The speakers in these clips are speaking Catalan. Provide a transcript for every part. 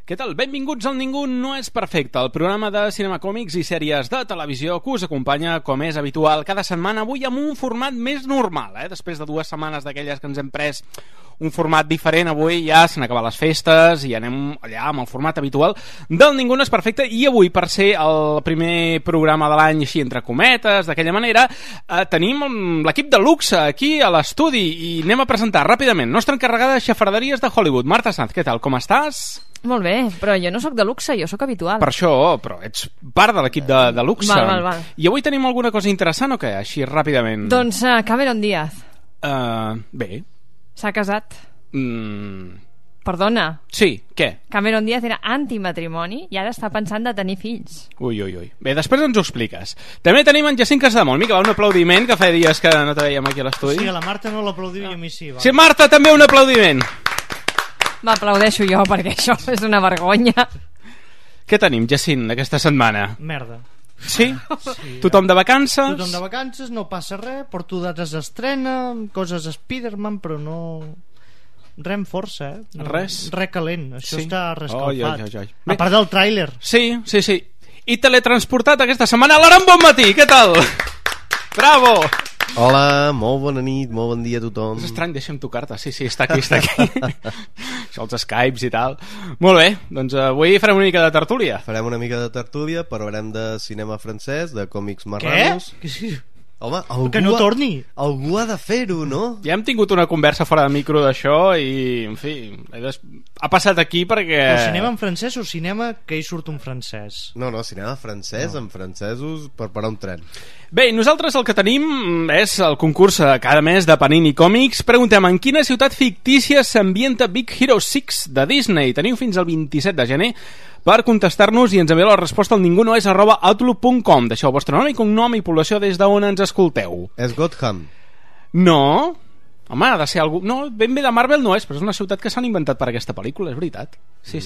Què tal? Benvinguts al Ningú no és perfecte, el programa de cinema, còmics i sèries de televisió que us acompanya, com és habitual, cada setmana, avui amb un format més normal, després de 2 setmanes d'aquelles que ens hem pres un format diferent. Avui ja s'han acabat les festes i anem allà amb el format habitual del Ningú no és perfecte, i avui, per ser el primer programa de l'any així entre cometes, d'aquella manera, tenim l'equip de luxe aquí a l'estudi i anem a presentar ràpidament nostra encarregada de xafarderies de Hollywood. Marta Sanz, què tal? Com estàs? Molt bé, però jo no sóc de luxe, jo sóc habitual. Per això, però ets part de l'equip de luxe. Val. I avui tenim alguna cosa interessant o què? Així ràpidament. Doncs Cameron Díaz. Bé. S'ha casat. Perdona. Sí, què? Cameron Díaz era antimatrimoni i ara està pensant de tenir fills. Ui. Bé, després ens ho expliques. També tenim en Jacint Casademont. Mica, va, un aplaudiment, que feia dies que no te veiem aquí a l'estudi. Sí, a la Marta no l'aplaudiu i a mi sí. Va. Sí, Marta, també un aplaudiment. M'aplaudeixo jo perquè això és una vergonya. Què tenim, Jacint, aquesta setmana? Merda. Sí? Tothom de vacances? Tothom de vacances, no passa res, porto dates d'estrena, coses a Spider-Man, però no... Res amb força, No, res calent, això està rescalfat. Oi. A part del tràiler. Sí. I teletransportat aquesta setmana l'Aran Bonmatí, què tal? Bravo! Hola, molt bona nit, molt bon dia a tothom. És estrany, deixa'm tocar-te. Sí, està aquí. Això, els Skypes i tal. Molt bé, doncs avui farem una mica de tertúlia. Farem una mica de tertúlia, parlarem de cinema francès, de còmics marranos. Què? Home, que no torni. Algú ha de fer-ho, no? Ja hem tingut una conversa fora de micro d'això i, en fi, ha passat aquí perquè... El cinema en francès o cinema que hi surt un francès? No, cinema francès, amb francesos per parar un tren. Bé, nosaltres el que tenim és el concurs cada mes de Panini Còmics. Preguntem en quina ciutat fictícia s'ambienta Big Hero 6 de Disney. Teniu fins al 27 de gener per contestar-nos i ens envieu la resposta al ningunoes@outlook.com. Deixeu el vostre nom i cognom i població des d'on ens escolteu. És Gotham? No. Home, ha de ser algú... No, ben bé de Marvel no és, però és una ciutat que s'han inventat per aquesta pel·lícula, és veritat. Sí.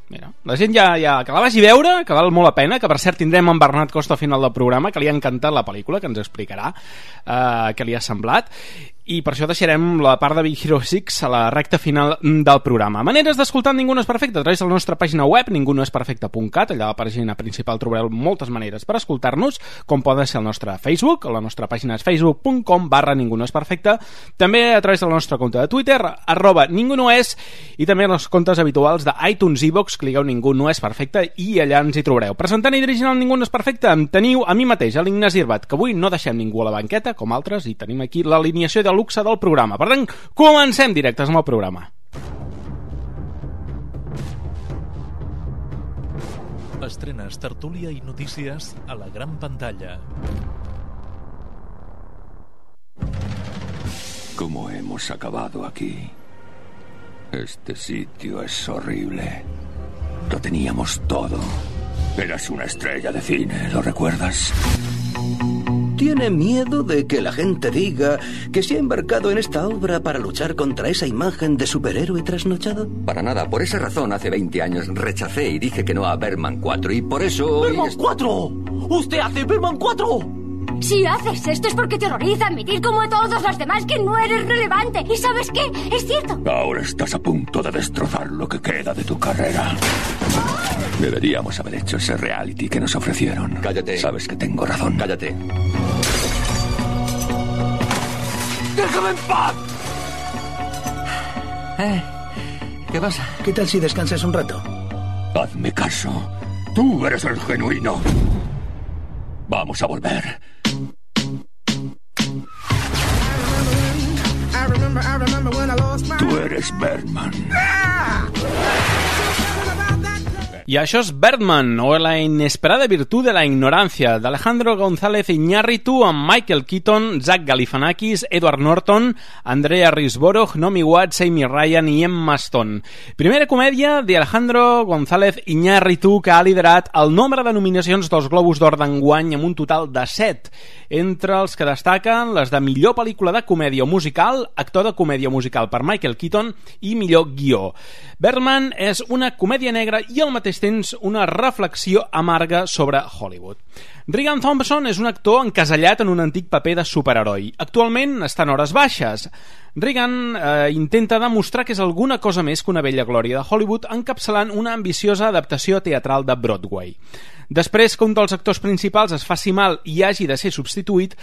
Mira. La gent ja que la vagi a veure, que val molt la pena, que per cert tindrem en Bernat Costa al final del programa, que li ha encantat la pel·lícula, que ens explicarà què li ha semblat, i per això deixarem la part de Big Hero 6 a la recta final del programa. Maneres d'escoltar Ningú no és perfecte a través de la nostra pàgina web, ningunoesperfecte.cat. Allà a la pàgina principal trobareu moltes maneres per escoltar-nos, com poden ser el nostre Facebook, la nostra pàgina és facebook.com/Ningú no és perfecte, també a través de la nostra compte de Twitter, @ningunoes, i també els comptes habituals d'iTunes, iVoox, cliqueu Ningú no és perfecte i allà ens hi trobareu. Presentant i dirigint el Ningú no és perfecte em teniu a mi mateix, a l'Ignasi Irbat, que avui no deixem ningú a la banqueta, com altres, i tenim aquí l'alineació de luxe del programa. Per tant, comencem directes amb el programa. Estrenes, tertúlia i notícies a la gran pantalla. ¿Cómo hemos acabado aquí? Este sitio es horrible. Lo teníamos todo. Eras una estrella de cine, ¿lo recuerdas? ¿Tiene miedo de que la gente diga que se ha embarcado en esta obra para luchar contra esa imagen de superhéroe trasnochado? Para nada, por esa razón hace 20 años rechacé y dije que no a Berman 4 y por eso... ¡Berman 4! ¡Usted hace Berman 4! Si haces esto es porque te horroriza admitir como a todos los demás que no eres relevante. ¿Y sabes qué? Es cierto. Ahora estás a punto de destrozar lo que queda de tu carrera. Deberíamos haber hecho ese reality que nos ofrecieron. Cállate. Sabes que tengo razón. Cállate. ¡Déjame en paz! ¿Qué pasa? ¿Qué tal si descansas un rato? Hazme caso. Tú eres el genuino. Vamos a volver. Tú eres Berman. I això és Birdman, o La inesperada virtud de la ignorancia, d'Alejandro González Iñárritu, amb Michael Keaton, Zach Galifianakis, Edward Norton, Andrea Riseborough, Naomi Watts, Amy Ryan i Emma Stone. Primera comèdia d'Alejandro González Iñárritu, que ha liderat el nombre de nominacions dels Globus d'Or d'enguany amb un total de 7, entre els que destaquen les de millor pel·lícula de comèdia o musical, actor de comèdia musical per Michael Keaton i millor guió. Birdman és una comèdia negra i al mateix temps una reflexió amarga sobre Hollywood. Regan Thompson és un actor encasellat en un antic paper de superheroi. Actualment està en hores baixes. Reagan intenta demostrar que és alguna cosa més que una vella glòria de Hollywood, encapçalant una ambiciosa adaptació teatral de Broadway. Després que un dels actors principals es faci mal i hagi de ser substituït,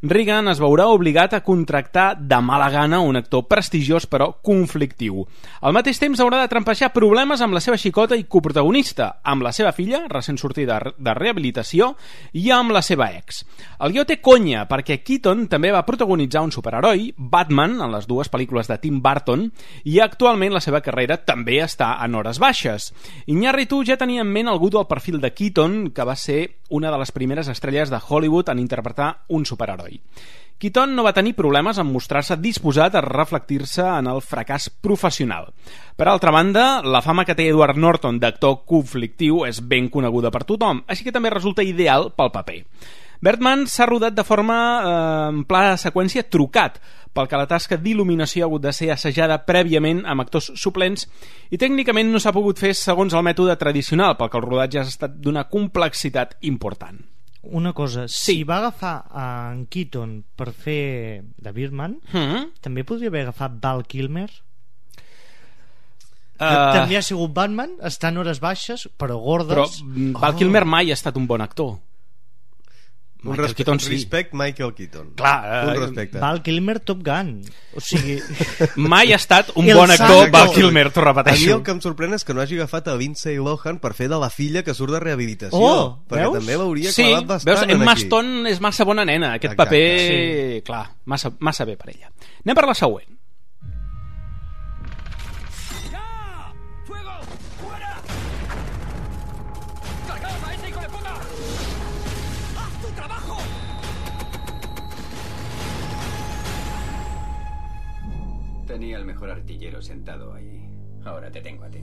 Reagan es veurà obligat a contractar de mala gana un actor prestigiós però conflictiu. Al mateix temps haurà de trampejar problemes amb la seva xicota i coprotagonista, amb la seva filla, recent sortida de rehabilitació, i amb la seva ex. El guió té conya, perquè Keaton també va protagonitzar un superheroi, Batman, en les dues pel·lícules de Tim Burton, i actualment la seva carrera també està en hores baixes. Iñárritu ja tenia en ment algú del perfil de Keaton, que va ser una de les primeres estrelles de Hollywood en interpretar un superheroi. Keaton no va tenir problemes en mostrar-se disposat a reflectir-se en el fracàs professional. Per altra banda, la fama que té Edward Norton d'actor conflictiu és ben coneguda per tothom, així que també resulta ideal pel paper. Birdman s'ha rodat de forma en pla de seqüència trucat, pel que la tasca d'il·luminació ha hagut de ser assajada prèviament amb actors suplents i tècnicament no s'ha pogut fer segons el mètode tradicional, pel que el rodatge ha estat d'una complexitat important. Una cosa, si va agafar en Keaton per fer de Birdman, també podria haver agafat Val Kilmer? També ha sigut Batman, està en hores baixes, però gordes. Però Val Kilmer mai ha estat un bon actor. Un respecte Michael Keaton. Clar, un respecte. Val Kilmer Top Gun. O sigui... mai ha estat un bon actor Val Kilmer, t'ho repeteixo. A mi el que em sorprèn és que no hagi agafat a Lindsay Lohan per fer de la filla que surt de rehabilitació. Perquè veus? També l'hauria clavat bastant veus? Emma aquí. Stone és massa bona nena. Aquest paper, clar, massa bé per ella. Anem per la següent. Tenía el mejor artillero sentado ahí. Ahora te tengo a ti.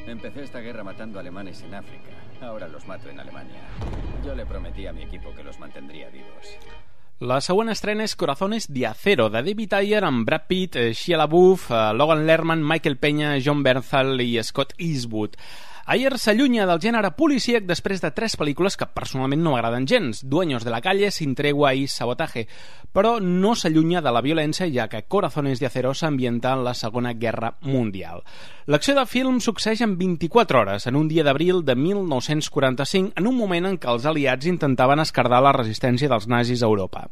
Empecé esta guerra matando alemanes en África. Ahora los mato en Alemania. Yo le prometí a mi equipo que los mantendría vivos. La següent estrena és Corazones de Acero, de David Ayer, amb Brad Pitt, Shia LaBeouf, Logan Lerman, Michael Peña, John Bernthal i Scott Eastwood. Ayer s'allunya del gènere policíac després de 3 pel·lícules que personalment no m'agraden gens, Dueños de la calle, Sin tregua i Sabotaje, però no s'allunya de la violència, ja que Corazones de Acero s'ambienta en la Segona Guerra Mundial. L'acció del film succeeix en 24 hores, en un dia d'abril de 1945, en un moment en què els aliats intentaven esquerdar la resistència dels nazis a Europa.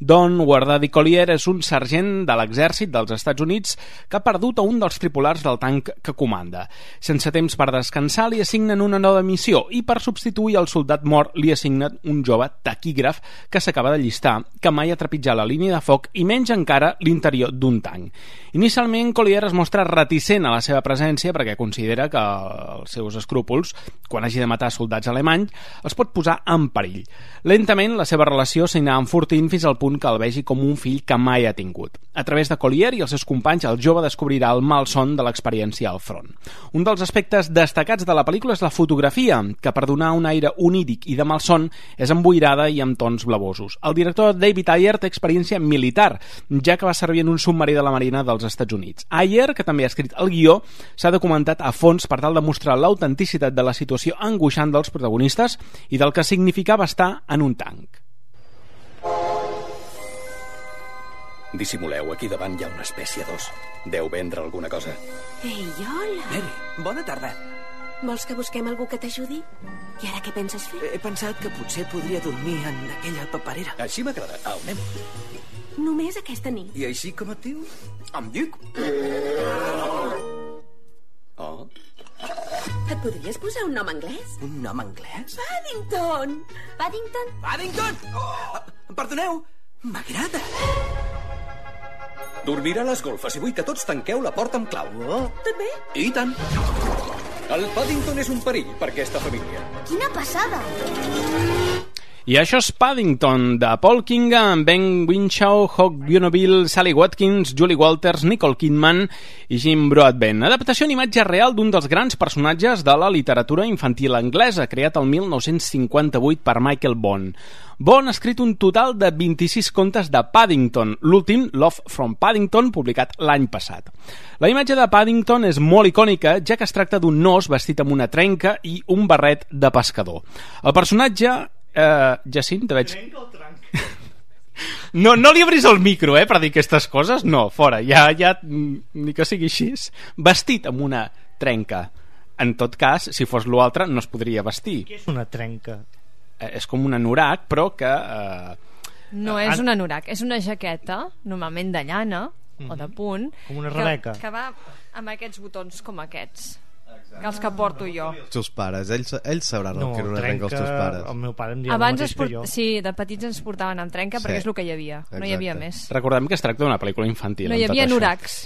Don Guardadi Collier és un sergent de l'exèrcit dels Estats Units que ha perdut a un dels tripulars del tanc que comanda. Sense temps per descansar, li assignen una nova missió i per substituir el soldat mort li assignen un jove taquígraf que s'acaba d'allistar, que mai ha trepitjat la línia de foc i menys encara l'interior d'un tanc. Inicialment, Collier es mostra reticent a la seva presència perquè considera que els seus escrúpols, quan hagi de matar soldats alemanys, els pot posar en perill. Lentament, la seva relació s'anirà enfortint fins al punt que el vegi com un fill que mai ha tingut. A través de Collier i els seus companys, el jove descobrirà el malson de l'experiència al front. Un dels aspectes destacats de la pel·lícula és la fotografia, que per donar un aire oníric i de malson és emboirada i amb tons blavosos. El director David Ayer té experiència militar, ja que va servir en un submarí de la Marina dels Estats Units. Ayer, que també ha escrit el guió, s'ha documentat a fons per tal de mostrar l'autenticitat de la situació angoixant dels protagonistes i del que significava estar en un tanc. Dissimuleu, aquí davant hi ha una espècie d'os. Deu vendre alguna cosa. Ei, hola. Mary, bona tarda. Vols que busquem algú que t'ajudi? I ara què penses fer? He pensat que potser podria dormir en aquella paperera. Així m'agrada. Au, anem. Només aquesta nit. I així com et dius? Em dic... Oh. Et podries posar un nom anglès? Un nom anglès? Paddington! Paddington? Paddington! Oh, perdoneu, m'agrada. Dormirà a les golfes i vull que tots tanqueu la porta amb clau. Oh. També? I tant. El Paddington és un perill per aquesta família. Quina passada! I això és Paddington, de Paul Kinga, amb Ben Whishaw, Hawk Bonneville, Sally Watkins, Julie Walters, Nicole Kidman i Jim Broadbent. Adaptació en imatge real d'un dels grans personatges de la literatura infantil anglesa, creat el 1958 per Michael Bond. Bond ha escrit un total de 26 contes de Paddington, l'últim, Love from Paddington, publicat l'any passat. La imatge de Paddington és molt icònica, ja que es tracta d'un os vestit amb una trenca i un barret de pescador. El personatge... Jacint, te veig... No li obris el micro, per dir aquestes coses. No, fora, ja ni que sigui així. Vestit amb una trenca. En tot cas, si fos l'altre, no es podria vestir. Què és una trenca? És com un anorac, però que... No és un anorac, és una jaqueta, normalment de llana o de punt, com una rebeca, que va amb aquests botons com aquests, que els que porto jo. Els teus pares, ells sabran el que era una trenca els teus pares. El meu pare em deia abans el mateix que jo. Sí, de petits ens portaven amb trenca perquè és el que hi havia. No hi havia més. Recordem que es tracta d'una pel·lícula infantil. No hi havia anoracs.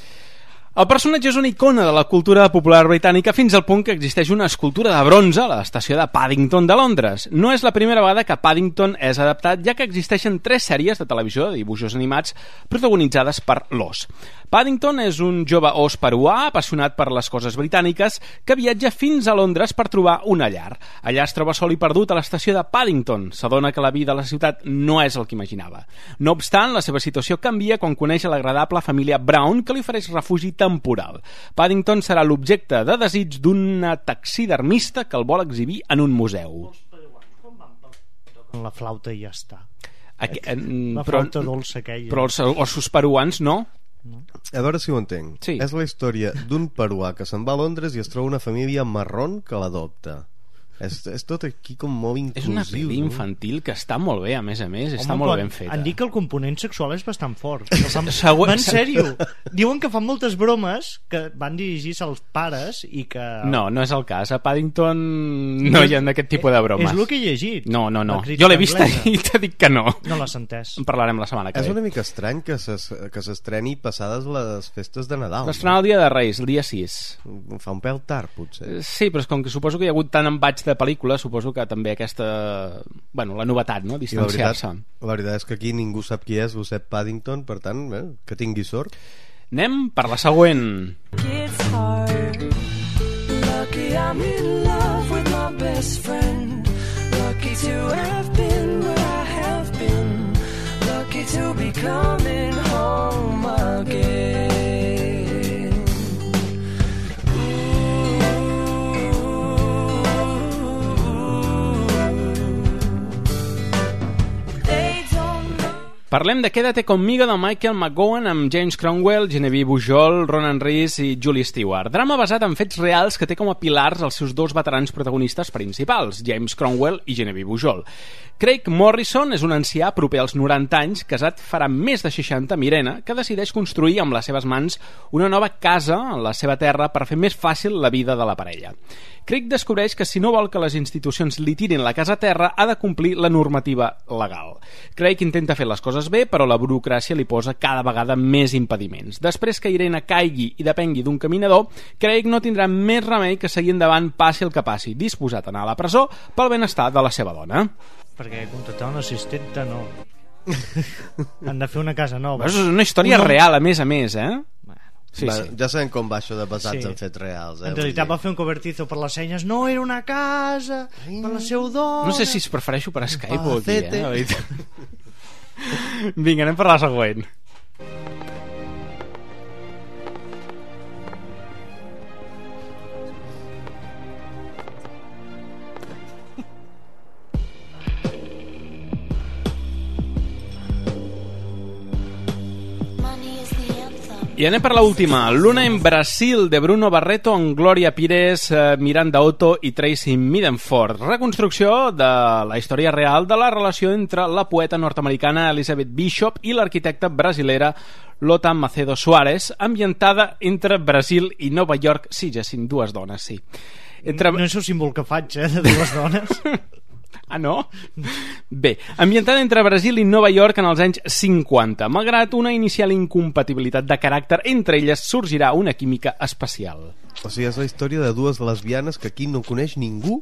El personatge és una icona de la cultura popular britànica fins al punt que existeix una escultura de bronze a l'estació de Paddington de Londres. No és la primera vegada que Paddington és adaptat, ja que existeixen 3 sèries de televisió de dibuixos animats protagonitzades per l'os. Paddington és un jove os peruà apassionat per les coses britàniques que viatja fins a Londres per trobar una llar. Allà es troba sol i perdut a l'estació de Paddington. S'adona que la vida a la ciutat no és el que imaginava. No obstant, la seva situació canvia quan coneix l'agradable família Brown, que li ofereix refugi temporal. Paddington serà l'objecte de desig d'una taxidermista que el vol exhibir en un museu. La flauta i ja està. La flauta dolça aquella. Però els ossos peruans no? A veure si ho entenc. Sí. És la història d'un peruà que se'n va a Londres i es troba una família marrón que l'adopta. És tot aquí com molt inclusiu. És una pel·li infantil que està molt bé, a més, està molt ben feta. Han dit que el component sexual és bastant fort. En sèrio, diuen que fan moltes bromes que van dirigir-se als pares i que... No és el cas. A Paddington no hi ha aquest tipus de bromes. És el que he llegit. No. Jo l'he vista i t'he dit que no. No l'has entès. En parlarem la setmana que ve. És una mica estrany que s'estreni passades les festes de Nadal. S'estrena el dia de Reis, el dia 6. Fa un pèl tard, potser. Sí, però és com que suposo que hi ha hagut tant embaig de pel·lícula, suposo que també aquesta... Bueno, la novetat, no? Distanciar-se. La veritat és que aquí ningú sap qui és Lucet Paddington, per tant, que tingui sort. Anem per la següent. It's hard. Lucky I'm in love with my best friend. Lucky to have been where I have been. Lucky to be coming home again. Parlem de Quédate conmigo de Michael McGowan amb James Cromwell, Genevieve Bujold, Ronan Rees i Julie Stewart. Drama basat en fets reals que té com a pilars els seus dos veterans protagonistes principals, James Cromwell i Genevieve Bujold. Craig Morrison és un ancià proper als 90 anys, casat farà més de 60 amb Irene, que decideix construir amb les seves mans una nova casa en la seva terra per fer més fàcil la vida de la parella. Craig descobreix que si no vol que les institucions li tirin la casa a terra, ha de complir la normativa legal. Craig intenta fer les coses bé, però la burocràcia li posa cada vegada més impediments. Després que Irene caigui i depengui d'un caminador, Craig no tindrà més remei que seguir endavant passi el que passi, disposat a anar a la presó pel benestar de la seva dona. Perquè contractar una assistenta no. Han de fer una casa nova. És una història real, a més, Sí, sí. Ja sabem com va això de basats en fets reals. En realitat va fer un cobertizo per les senyes. No, era una casa per la seva dona. No sé si es prefereixo per Skype o aquí, Vinga, anem per la següent. I anem per l'última. Luna en Brasil, de Bruno Barreto, amb Gloria Pires, Miranda Otto i Tracy Midenford. Reconstrucció de la història real de la relació entre la poeta nord-americana Elizabeth Bishop i l'arquitecta brasilera Lota Macedo Soares, ambientada entre Brasil i Nova York. Sí, Jacint, dues dones, sí. No és el símbol que faig, de dues dones. Ah, no? Bé, ambientada entre Brasil i Nova York en els anys 50. Malgrat una inicial incompatibilitat de caràcter, entre elles sorgirà una química especial. O sigui, és la història de dues lesbianes que aquí no coneix ningú.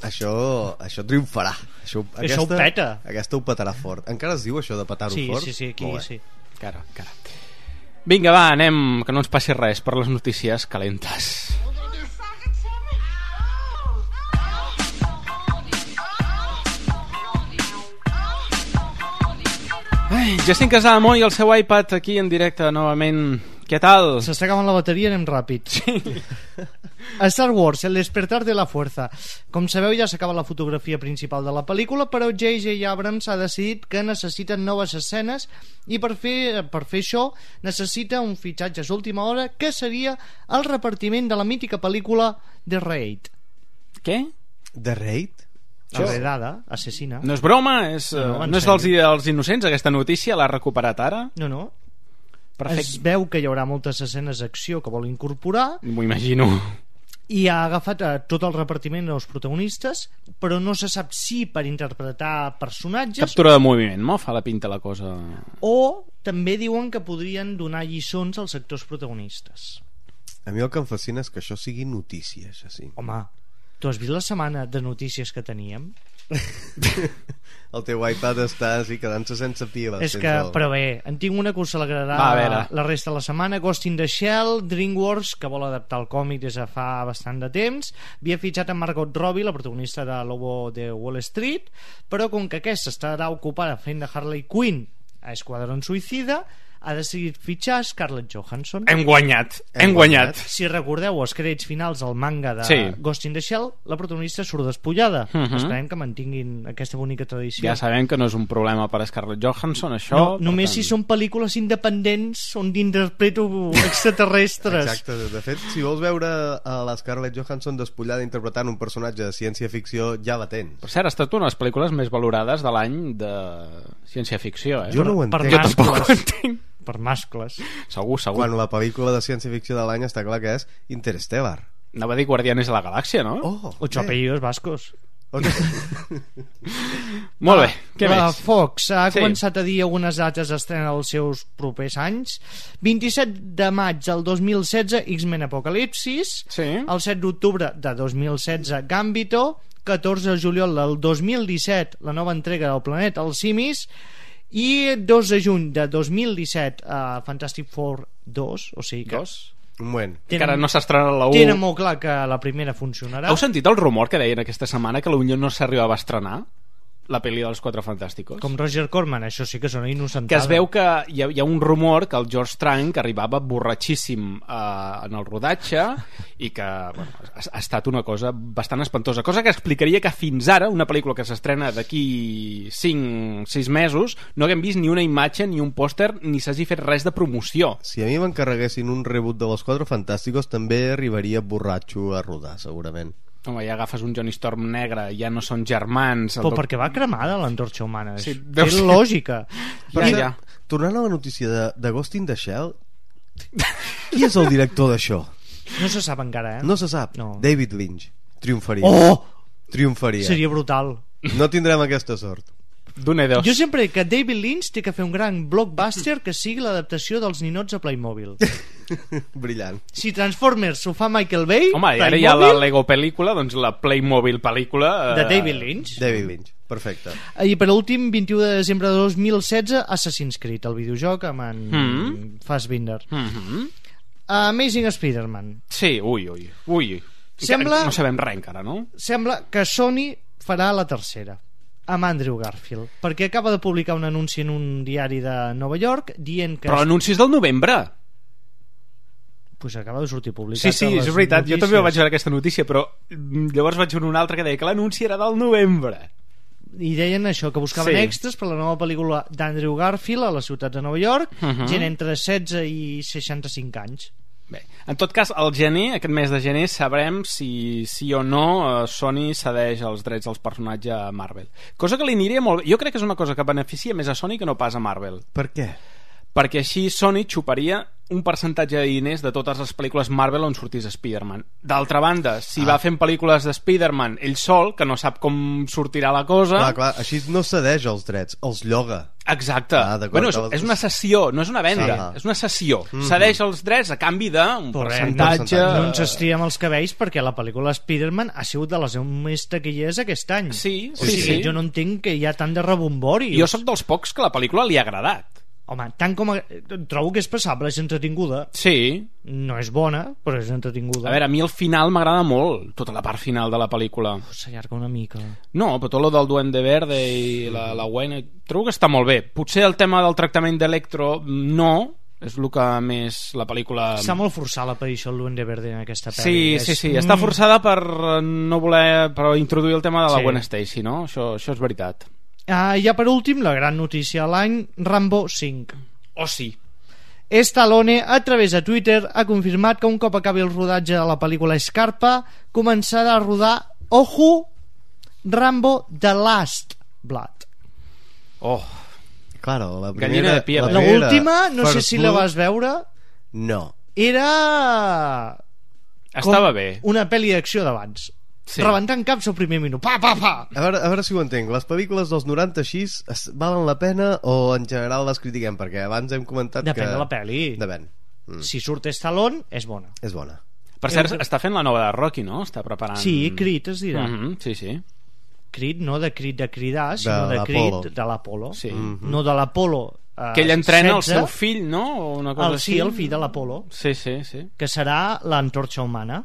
Això triomfarà. Això ho peta. Aquesta ho petarà fort. Encara es diu això de petar-ho fort? Sí, aquí sí. Cara. Vinga, va, anem, que no ens passi res per les notícies calentes. Jacint Casademont i el seu iPad aquí en directe novament. Què tal? S'està acabant la bateria, anem ràpid. Sí. A Star Wars, El despertar de la fuerza. Com sabeu, ja s'acaba la fotografia principal de la pel·lícula, però J.J. Abrams ha decidit que necessiten noves escenes i per fer això necessita un fitxatge a última hora, que seria el repartiment de la mítica pel·lícula The Raid. Què? The Raid? La redada, assassina. No és broma? No és dels innocents, aquesta notícia? L'ha recuperat ara? No. Perfecte. Es veu que hi haurà moltes escenes d'acció que vol incorporar. M'ho imagino. I ha agafat tot el repartiment dels protagonistes, però no se sap si per interpretar personatges... Captura de moviment, no? Fa la pinta la cosa... O també diuen que podrien donar lliçons als actors protagonistes. A mi el que em fascina és que això sigui notícia, això sí. Home, tu has vist la setmana de notícies que teníem? El teu iPad està així quedant-se sense piles. És que, però bé, en tinc una que us alegrarà la resta de la setmana. Ghost in the Shell, DreamWorks, que vol adaptar el còmic des de fa bastant de temps, havia fitxat a Margot Robbie, la protagonista de Lobo de Wall Street, però com que aquesta estarà ocupada fent de Harley Quinn a Esquadrón Suïcida, ha decidit fitxar Scarlett Johansson. Hem guanyat. Si recordeu els crèdits finals del manga de Ghost in the Shell, la protagonista surt despullada. Esperem que mantinguin aquesta bonica tradició. Ja sabem que no és un problema per a Scarlett Johansson, això. No, només si són pel·lícules independents on interpreto extraterrestres. Exacte, de fet, si vols veure a la Scarlett Johansson despullada interpretant un personatge de ciència-ficció, ja la tens. Per cert, ha estat una de les pel·lícules més valorades de l'any de ciència-ficció, Jo no ho entenc. Jo tampoc ho entenc. Per mascles. Segur. Quan la pel·lícula de ciència-ficció de l'any està clar que és Interstellar. Anava a dir Guardianes de la Galàxia, no? Ocho apellidos vascos. Molt bé, què més? Fox ha començat a dir algunes dates d'estrena dels seus propers anys. 27 de maig del 2016, X-Men Apocalipsis. El 7 d'octubre de 2016, Gambito. 14 de juliol del 2017, la nova entrega del Planeta als Simis. I 2 de juny de 2017, Fantastic Four 2, o sigui que... Un moment. Encara no s'ha estrenat la 1. Tenen molt clar que la primera funcionarà. Heu sentit el rumor que deien aquesta setmana que potser no s'arribava a estrenar la pel·li dels Quatre Fantàsticos? Com Roger Corman, això sí que és una innocentada. Que es veu que hi ha un rumor que el George Trank arribava borratxíssim en el rodatge i que ha estat una cosa bastant espantosa, cosa que explicaria que fins ara una pel·lícula que s'estrena d'aquí 5-6 mesos no haguem vist ni una imatge, ni un pòster, ni s'hagi fet res de promoció. Si a mi m'encarreguessin un reboot de los Quatre Fantàsticos també arribaria borratxo a rodar, segurament. Home, ja agafes un Johnny Storm negre, ja no són germans... Però perquè va cremada l'antorxa humana. Sí, té lògica. Tornant a la notícia de Ghost in the Shell, qui és el director d'això? No se sap encara, No se sap. No. David Lynch. Triomfaria. Triomfaria. Seria brutal. No tindrem aquesta sort. Jo sempre dic que David Lynch té que fer un gran blockbuster que sigui l'adaptació dels ninots a Playmobil. Brillant. Si Transformers ho fa Michael Bay, home, i ara hi ha la Lego pel·lícula, doncs la Playmobil pel·lícula de David Lynch. David Lynch, perfecte. I per últim, 21 de desembre de 2016, Assassin's Creed, el videojoc amb en Fassbinder. Amazing Spider-Man. Sí, ui. Sembla, no sabem res encara, no? Sembla que Sony farà la tercera amb Andrew Garfield, perquè acaba de publicar un anunci en un diari de Nova York dient que... Però l'anunci és del novembre. Pues acaba de sortir publicat. Sí, és veritat, jo també vaig veure aquesta notícia, però llavors vaig veure una altra que deia que l'anunci era del novembre. I deien això, que buscaven extras per la nova pel·lícula d'Andrew Garfield a la ciutat de Nova York, gent entre 16 i 65 anys. Bé, en tot cas, al gener, aquest mes de gener, sabrem si sí o no Sony cedeix els drets dels personatges a Marvel. Cosa que li aniria molt bé. Jo crec que és una cosa que beneficia més a Sony que no pas a Marvel. Per què? Perquè així Sony xuparia un percentatge de diners de totes les pel·lícules Marvel on sortís Spider-Man. D'altra banda, si va fent pel·lícules de Spider-Man ell sol, que no sap com sortirà la cosa... Clar, així no cedeix els drets, els lloga. Exacte. Bueno, és una cessió, no és una venda, és una cessió. Cedeix els drets a canvi d'un percentatge... No ens estriem els cabells perquè la pel·lícula Spider-Man ha sigut de les més taquilleres aquest any. Sí. Jo no entenc que hi ha tant de rebombori. Jo sóc dels pocs que la pel·lícula li ha agradat. Home, tant com... Trobo que és passable, és entretinguda. Sí. No és bona, però és entretinguda. A veure, a mi el final m'agrada molt, tota la part final de la pel·lícula. S'allarga una mica. No, però tot lo del Duende Verde i la Gwen... Trobo que està molt bé. Potser el tema del tractament d'Electro no, És el que més la pel·lícula... Està molt forçada l'aparició del Duende Verde en aquesta pel·li. Sí, està forçada per no voler introduir el tema de la Gwen Stacy, no? Això és veritat. Ja per últim, la gran notícia de l'any, Rambo 5. Oh, sí. Stallone, a través de Twitter, ha confirmat que un cop acabi el rodatge de la pel·lícula Scarpa, començarà a rodar, ojo, Rambo The Last Blood. Oh, claro, la primera... Gallina de piel. L'última, no sé si la vas veure. No. Era... Estava bé. Una pel·li d'acció d'abans. Sí. Rebentant caps al primer minut. Pa, pa, pa! A veure si ho entenc. Les pel·lícules dels 90 així valen la pena o en general les critiquem? Perquè abans hem comentat Depèn que... de la pel·li. Depèn. Si surt Stallone, és bona. És bona. Per cert, està fent la nova de Rocky, no? Està preparant... Sí, Creed es dirà. Sí. Creed, no de cridar, sinó de Creed de l'Apolo. Sí. No de l'Apolo. Que ell entrena el seu fill, no? O una cosa així. Sí, el fill de l'Apolo. Sí. Que serà l'antorxa humana.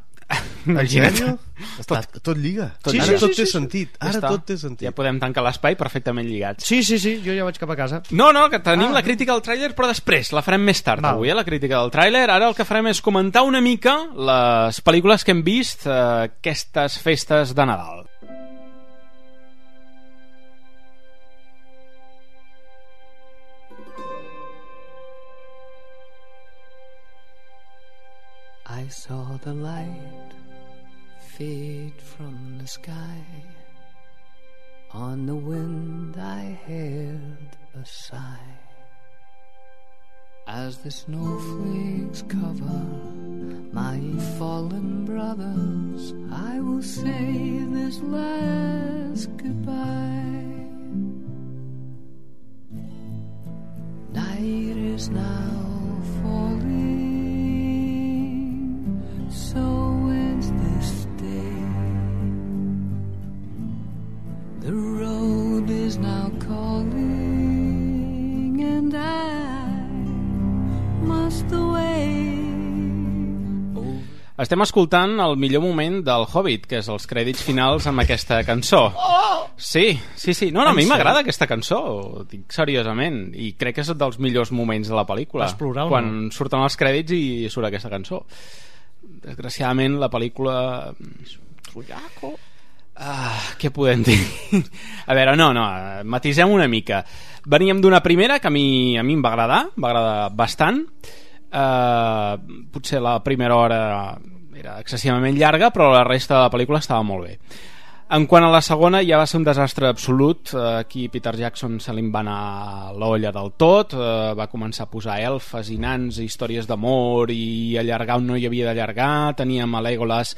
Imagina't. Tot lliga. Ara tot té sentit. Ja podem tancar l'espai perfectament lligats. Sí, jo ja vaig cap a casa. No, que tenim la crítica del tràiler, però després la farem més tard avui, la crítica del tràiler. Ara el que farem és comentar una mica les pel·lícules que hem vist aquestes festes de Nadal. I saw the light fade from the sky. On the wind I heard a sigh. As the snowflakes cover my fallen brothers, I will say this last goodbye. Night is now falling, so ends this day. The road is now calling, and I must away. Estem escoltant el millor moment del Hobbit, que és els crèdits finals amb aquesta cançó. Sí. No, a mi m'agrada aquesta cançó, ho dic seriosament, i crec que és un dels millors moments de la pel·lícula. Vas plorar o no? Quan surten els crèdits i surt aquesta cançó. Desgraciadament la pel·lícula... què podem dir? A veure, no, matisem una mica. Veníem d'una primera que a mi em va agradar bastant. Potser la primera hora era excessivament llarga, però la resta de la pel·lícula estava molt bé. En quant a la segona, ja va ser un desastre absolut. Aquí Peter Jackson se li va anar l'olla del tot, va començar a posar elfes i nans, històries d'amor i allargar on no hi havia d'allargar. Teníem a Legolas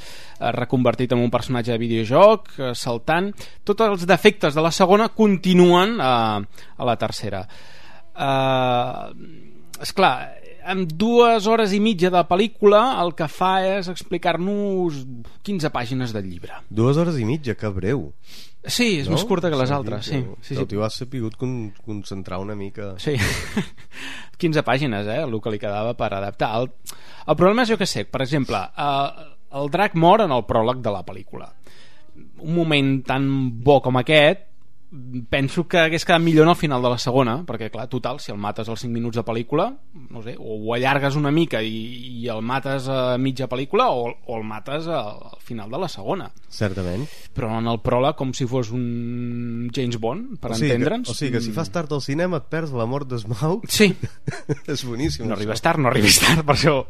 reconvertit en un personatge de videojoc, saltant. Tots els defectes de la segona continuen a la tercera. Esclar, amb 2 hores i mitja de pel·lícula el que fa és explicar-nos 15 pàgines del llibre. 2 hores i mitja, que breu. Sí, és més curta que les altres. Sí. T'ho has sapigut concentrar una mica. Sí, 15 pàgines, el que li quedava per adaptar. El problema és, jo què sé, per exemple, el drac mor en el pròleg de la pel·lícula. Un moment tan bo com aquest penso que hagués quedat millor en el final de la segona, perquè clar, total, si el mates als 5 minuts de pel·lícula, no sé, o ho allargues una mica i el mates a mitja pel·lícula o el mates al final de la segona. Certament. Però en el pròleg com si fos un James Bond, per entendre'ns. O sigui que si fas tard al cinema et perds la mort d'Smaug. Sí. És boníssim. No arribes tard, per això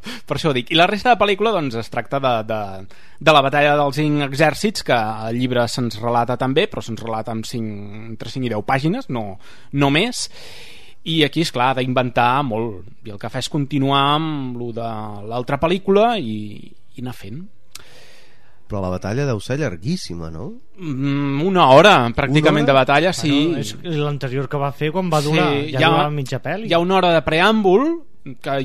ho dic. I la resta de pel·lícula doncs es tracta de la batalla dels 5 exèrcits, que al llibre se'ns relata també, però se'ns relata entre 5 i 10 pàgines, no més. I aquí, esclar, ha d'inventar molt, i el que fa és continuar amb lo de l'altra pel·lícula i anar fent. Però la batalla deu ser llarguíssima, no? 1 hora, pràcticament, de batalla, sí. Bueno, és l'anterior que va fer quan va durar, durava mitja pel·li. Hi ha 1 hora de preàmbul, que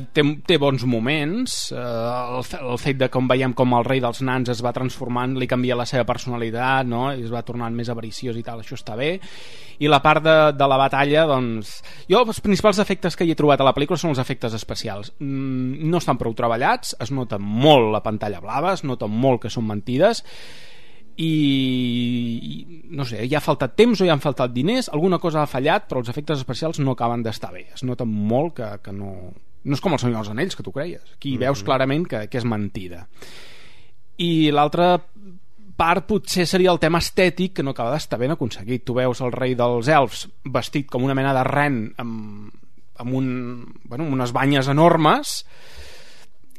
té bons moments. El fet de com veiem com el rei dels nans es va transformant, li canvia la seva personalitat, no? I es va tornant més avariciós i tal, això està bé. I la part de la batalla, doncs... Jo, els principals efectes que hi he trobat a la pel·lícula són els efectes especials. No estan prou treballats, es nota molt la pantalla blava, es nota molt que són mentides, i no sé, ja ha faltat temps o ja han faltat diners, alguna cosa ha fallat, però els efectes especials no acaben d'estar bé, es nota molt que No és com el Senyor dels Anells, que tu creies. Aquí veus clarament que és mentida. I l'altra part potser seria el tema estètic, que no acaba d'estar ben aconseguit. Tu veus el rei dels elfs vestit com una mena de ren amb unes banyes enormes.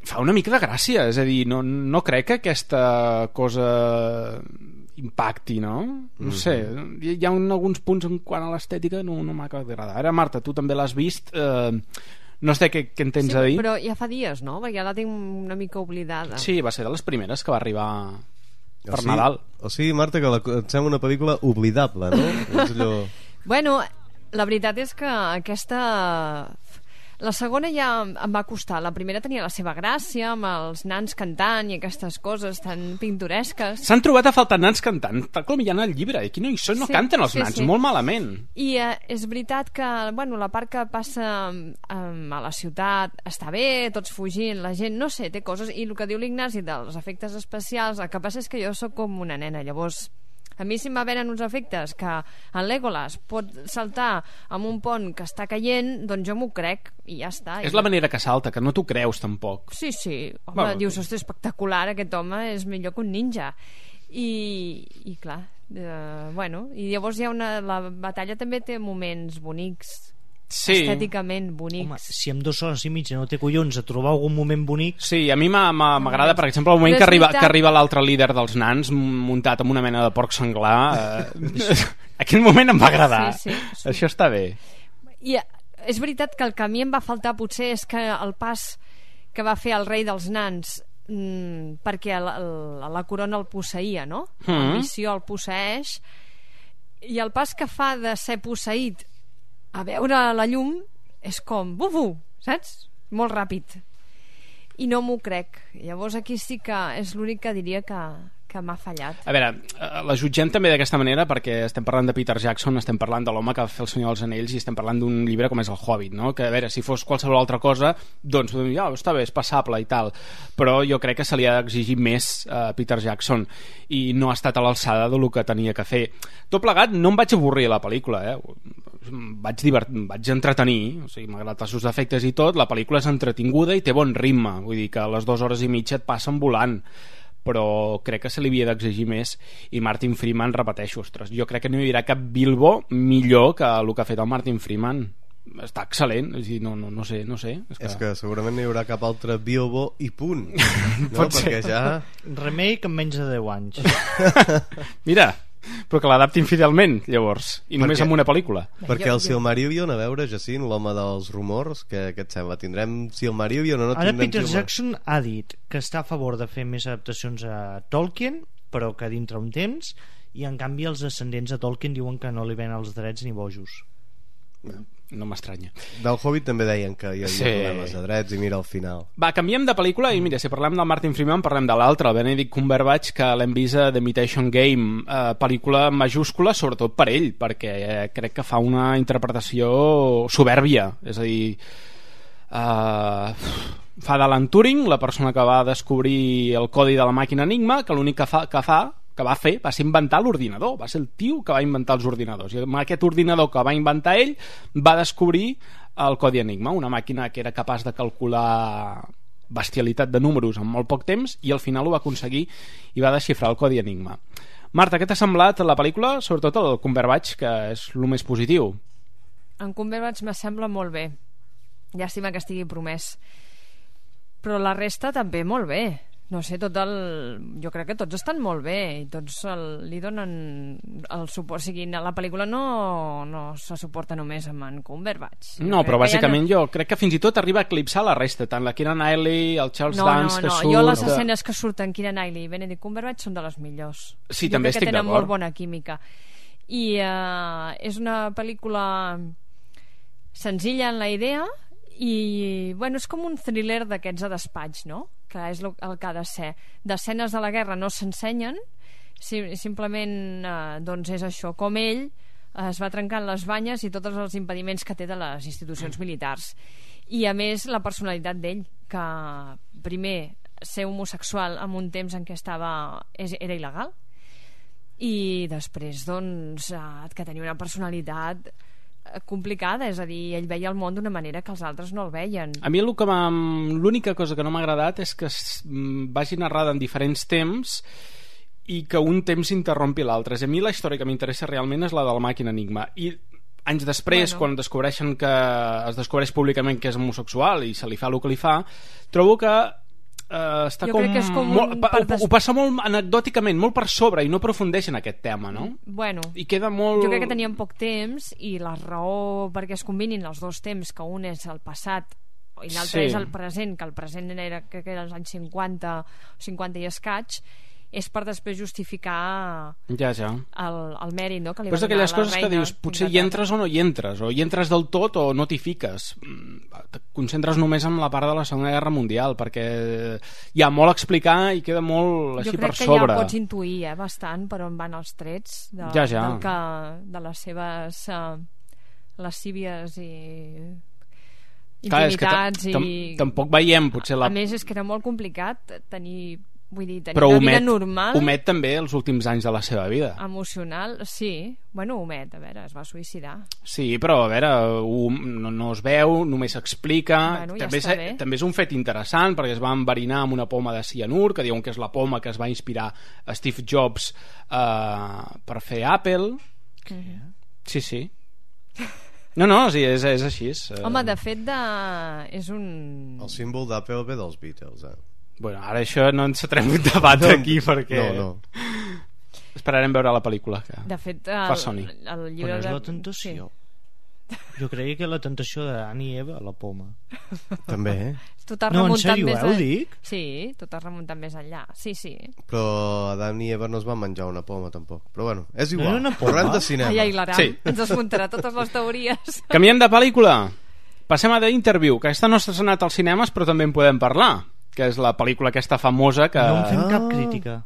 Fa una mica de gràcia, és a dir, no crec que aquesta cosa impacti, no? No sé, hi ha alguns punts en quant a l'estètica no m'acaba d'agradar. Ara, Marta, tu també l'has vist, no sé què en tens a dir. Però ja fa dies, no? Perquè ja la tinc una mica oblidada. Sí, va ser de les primeres que va arribar per Nadal. O sigui, Marta, que et sembla una pel·lícula oblidable, no? És allò... Bueno, la veritat és que aquesta... La segona ja em va costar. La primera tenia la seva gràcia, amb els nans cantant i aquestes coses tan pintoresques. S'han trobat a faltar nans cantant, tal com hi ha en el llibre. Aquí no hi són, no canten els nans, molt malament. I és veritat que, bueno, la part que passa a la ciutat està bé, tots fugint, la gent, no sé, té coses. I el que diu l'Ignasi dels efectes especials, el que passa és que jo sóc com una nena, llavors... A mi si em venen uns efectes que en Legolas pot saltar amb un pont que està caient, doncs jo m'ho crec i ja està. És la manera que salta, que no t'ho creus tampoc. Sí, home, dius, ostres, espectacular, aquest home és millor que un ninja. I clar, bueno, i llavors hi ha la batalla també té moments bonics, estèticament bonics. Home, si amb 2 hores i mitja no té collons a trobar algun moment bonic... Sí, a mi m'agrada, per exemple, el moment que arriba l'altre líder dels nans muntat amb una mena de porc senglar. Aquell moment em va agradar. Sí. Això està bé. I és veritat que el que a mi em va faltar potser és que el pas que va fer el rei dels nans perquè la corona el posseïa, no? L'ambició el posseeix, i el pas que fa de ser posseït a veure la llum és com bufu, saps? Molt ràpid. I no m'ho crec. Llavors aquí sí que és l'únic que diria que m'ha fallat. A veure, la jutgem també d'aquesta manera perquè estem parlant de Peter Jackson, estem parlant de l'home que va fer El Senyor dels Anells i estem parlant d'un llibre com és El Hobbit, no? Que a veure, si fos qualsevol altra cosa doncs ja, està bé, és passable i tal, però jo crec que se li ha d'exigir més a Peter Jackson i no ha estat a l'alçada del que tenia que fer. Tot plegat no em vaig avorrir a la pel·lícula, vaig entretenir, o sigui, malgrat els seus efectes i tot, la pel·lícula és entretinguda i té bon ritme, vull dir que a les 2 hores i mitja et passen volant, però crec que se li havia d'exigir més. I Martin Freeman, repeteixo, ostres, jo crec que no hi haurà cap Bilbo millor que el que ha fet el Martin Freeman. Està excel·lent, és dir, no sé. És que segurament no hi haurà cap altre Bilbo i punt, no? Perquè ja... Remake en menys de 10 anys. Mira, però que l'adaptin fidelment, llavors, i només amb una pel·lícula. Perquè el Silmarillion, a veure, Jacint, l'home dels rumors, què et sembla? Tindrem Silmarillion o no tindrem Silmarillion? Ara Peter Jackson ha dit que està a favor de fer més adaptacions a Tolkien, però que dintre un temps, i en canvi els descendents de Tolkien diuen que no li ven els drets ni bojos. No m'estranya. Del Hobbit també deien que hi havia problemes de drets i mira al final. Va, canviem de pel·lícula i mira, si parlem del Martin Freeman parlem de l'altre, el Benedict Cumberbatch, que l'hem vist a The Imitation Game, pel·lícula majúscula sobretot per ell, perquè crec que fa una interpretació soberbia, és a dir, fa d'Alan Turing, la persona que va descobrir el codi de la màquina Enigma, que l'únic que va fer va ser inventar l'ordinador, va ser el tio que va inventar els ordinadors, i amb aquest ordinador que va inventar ell va descobrir el codi Enigma, una màquina que era capaç de calcular bestialitat de números en molt poc temps, i al final ho va aconseguir i va desxifrar el codi Enigma. Marta, què t'ha semblat la pel·lícula? Sobretot el Cumberbatch, que és el més positiu. En Cumberbatch m'assembla molt bé, llàstima que estigui promès, però la resta també molt bé. No sé, jo crec que tots estan molt bé i tots li donen el suport. O sigui, la pel·lícula no se suporta només amb en Cumberbatch. No, però bàsicament jo crec que fins i tot arriba a eclipsar la resta, tant la Keira Knightley, el Charles Dance que surt... Jo les escenes que surten Keira Knightley i Benedict Cumberbatch són de les millors. Sí, també estic d'acord. Jo crec que tenen molt bona química. I és una pel·lícula senzilla en la idea i, bueno, és com un thriller d'aquests a despatx, no? Que és el que ha de ser. D'escenes de la guerra no s'ensenyen, simplement doncs és això, com ell es va trencant les banyes i tots els impediments que té de les institucions militars. I a més la personalitat d'ell, que primer ser homosexual en un temps en què era il·legal, i després doncs que tenia una personalitat complicada, és a dir, ell veia el món d'una manera que els altres no el veien. A mi l'única cosa que no m'ha agradat és que vagi narrada en diferents temps i que un temps interrompi l'altre. A mi la història que m'interessa realment és la de la màquina Enigma, i anys després, quan descobreixen que es descobreix públicament que és homosexual i se li fa el que li fa, trobo que està ho passa molt anecdòticament, molt per sobre, i no aprofundeix en aquest tema, no? Bueno, i queda molt... Jo crec que tenien poc temps, i la raó perquè es combinin els dos temps, que un és el passat i l'altre és el present, que el present era, crec que era els anys 50 i escaig, és per després justificar el mèrit, no? Que li va donar la reina. Però és d'aquelles coses que dius, potser hi entres o no hi entres, o hi entres del tot o no t'hi fiques. Et concentres només en la part de la Segona Guerra Mundial, perquè hi ha molt a explicar i queda molt així per sobre. Jo crec que ja pots intuir bastant per on van els trets de les seves lascívies i intimitats. Tampoc veiem potser a més és que era molt complicat tenir però una vida normal. Omet també els últims anys de la seva vida. Emocional, sí. Bueno, omet, a veure, es va suïcidar. Sí, però a veure, no es veu, només s'explica. Bueno, també és un fet interessant, perquè es va enverinar amb una poma de cianur, que diuen que és la poma que es va inspirar a Steve Jobs per fer Apple. Sí. No, sí, és així. Home, de fet, és un... El símbol d'Apple ve dels Beatles, Bueno, ara això no ens atrem un debat aquí perquè... No. Esperarem veure la pel·lícula que de fet, fa Sony. El llibre és la tentació. Sí. Jo creia que la tentació d'Adam i Eva, la poma. També, No, en sèrio, ho dic? Sí, tot has remuntat més enllà. Sí. Però Adam i Eva no es van menjar una poma, tampoc. Però bueno, és igual. No, parlant de cinema. Ai, l'Aram ens desmuntarà totes les teories. Canviem de pel·lícula. Passem a The Interview, que aquesta no s'ha estrenat als cinemes, però també en podem parlar, que és la pel·lícula aquesta famosa que... No en fem cap crítica.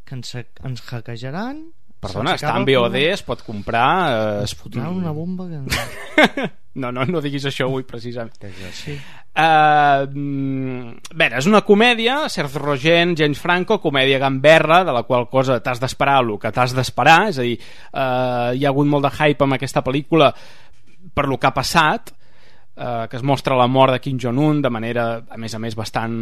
Que ens hackejaran... Perdona, està en VOD, es pot comprar... Es fotran una bomba que... No diguis això avui, precisament. Sí. Bé, és una comèdia, Seth Rogen, James Franco, comèdia gamberra, de la qual cosa t'has d'esperar el que t'has d'esperar, és a dir, hi ha hagut molt de hype amb aquesta pel·lícula per lo que ha passat, que es mostra la mort de Kim Jong-un de manera, a més, bastant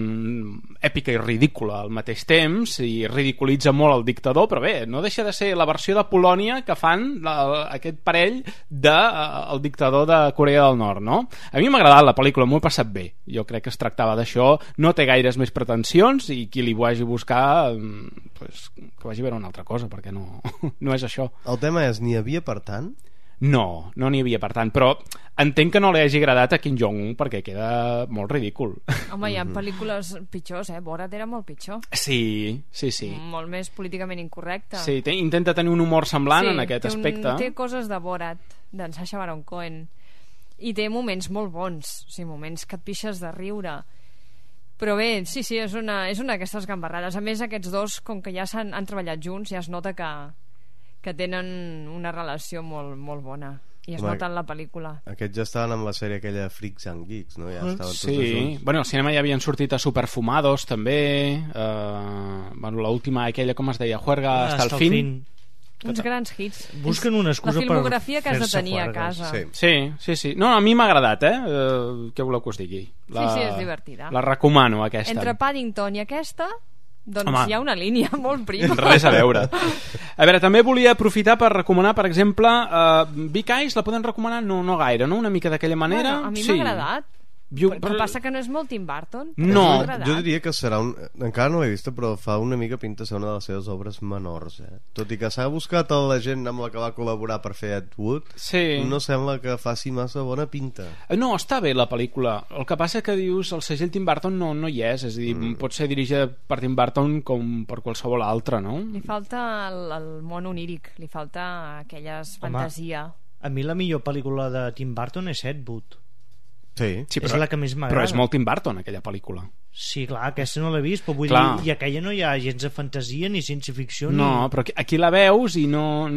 èpica i ridícula al mateix temps, i ridiculitza molt el dictador, però bé, no deixa de ser la versió de Polònia que fan aquest parell del dictador de Corea del Nord, no? A mi m'ha agradat la pel·lícula, m'ho he passat bé. Jo crec que es tractava d'això, no té gaires més pretensions, i qui li vagi a buscar pues, que vagi a veure una altra cosa, perquè no és això. El tema és, n'hi havia per tant? No n'hi havia per tant, però entenc que no li hagi agradat a Kim Jong-un perquè queda molt ridícul. Home, hi ha pel·lícules pitjors, Borat era molt pitjor. Sí. Molt més políticament incorrecte. Sí, intenta tenir un humor semblant en aquest aspecte. Té coses de Borat, d'en Sacha Baron Cohen, i té moments molt bons, o sigui, moments que et pixes de riure. Però bé, sí, és una d'aquestes gambarrades. A més, aquests dos, com que ja han treballat junts, ja es nota que tenen una relació molt, molt bona, i es nota en la pel·lícula. Aquests ja estaven amb la sèrie aquella Freaks and Geeks, no? Ja estaven tots junts. Bueno, al cinema ja havien sortit a Superfumados també, l'última aquella, com es deia, Juerga hasta el fin. Uns grans hits. Busquen una excusa per la filmografia que has de tenir a casa. Sí. No, a mi m'ha agradat, què voleu que us digui? Sí, és divertida. La recomano, aquesta. Entre Paddington i aquesta... Doncs hi ha una línia molt prima. Res a veure. A veure, també volia aprofitar per recomanar, per exemple, Big Eyes, la poden recomanar? No gaire, no? Una mica d'aquella manera. Bueno, a mi m'ha agradat. Però passa que no és molt Tim Burton. No, jo diria que serà encara no l'he vista, però fa una mica pinta ser una de les seves obres menors, tot i que s'ha buscat la gent amb la que va col·laborar per fer Ed Wood, no sembla que faci massa bona pinta. No, està bé la pel·lícula, el que passa que dius el segell Tim Burton no hi és, a dir, pot ser dirigida per Tim Burton com per qualsevol altre, no? Li falta el món oníric, li falta aquelles fantasia. A mi la millor pel·lícula de Tim Burton és Ed Wood. Sí, és la que més m'agrada. Però és molt Tim Burton, aquella pel·lícula. Sí, clar, aquesta no l'he vist, però vull dir, i aquella no hi ha gens de fantasia ni ciència-ficció no, però aquí la veus i no,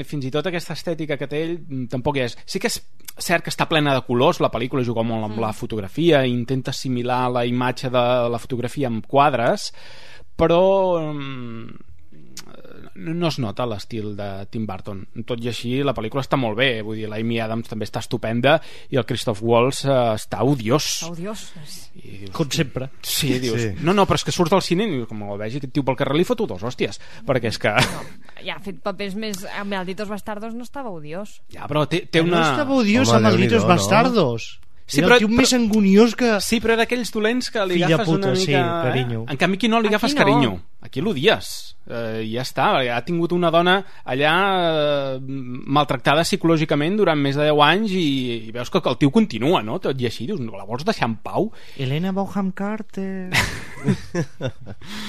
fins i tot aquesta estètica que té ell tampoc hi és. Sí que és cert que està plena de colors, la pel·lícula juga molt amb la fotografia, intenta assimilar la imatge de la fotografia amb quadres, però no es nota l'estil de Tim Burton. Tot i així la pel·lícula està molt bé, vull dir, l'Amy Adams també està estupenda i el Christoph Waltz està odiós. I com sempre. Sí, dius, no, però és que surts del cine i com el vegi aquest tio pel carrer li foto dos hòsties, perquè és que ja ha fet papers més... amb Malditos Bastardos no estava odiós. Ja, però té una... No estava odiós amb Malditos Bastardos. Sí, era el tio més anguniós que... Sí, però era d'aquells dolents que li agafes una mica... Sí, carinyo. En canvi aquí no li agafes carinyo. Aquí l'odies. Ja està, ha tingut una dona allà maltractada psicològicament durant més de 10 anys i veus que el tio continua, no? Tot i així, dius, la vols deixar en pau? Helena Bonham Carter.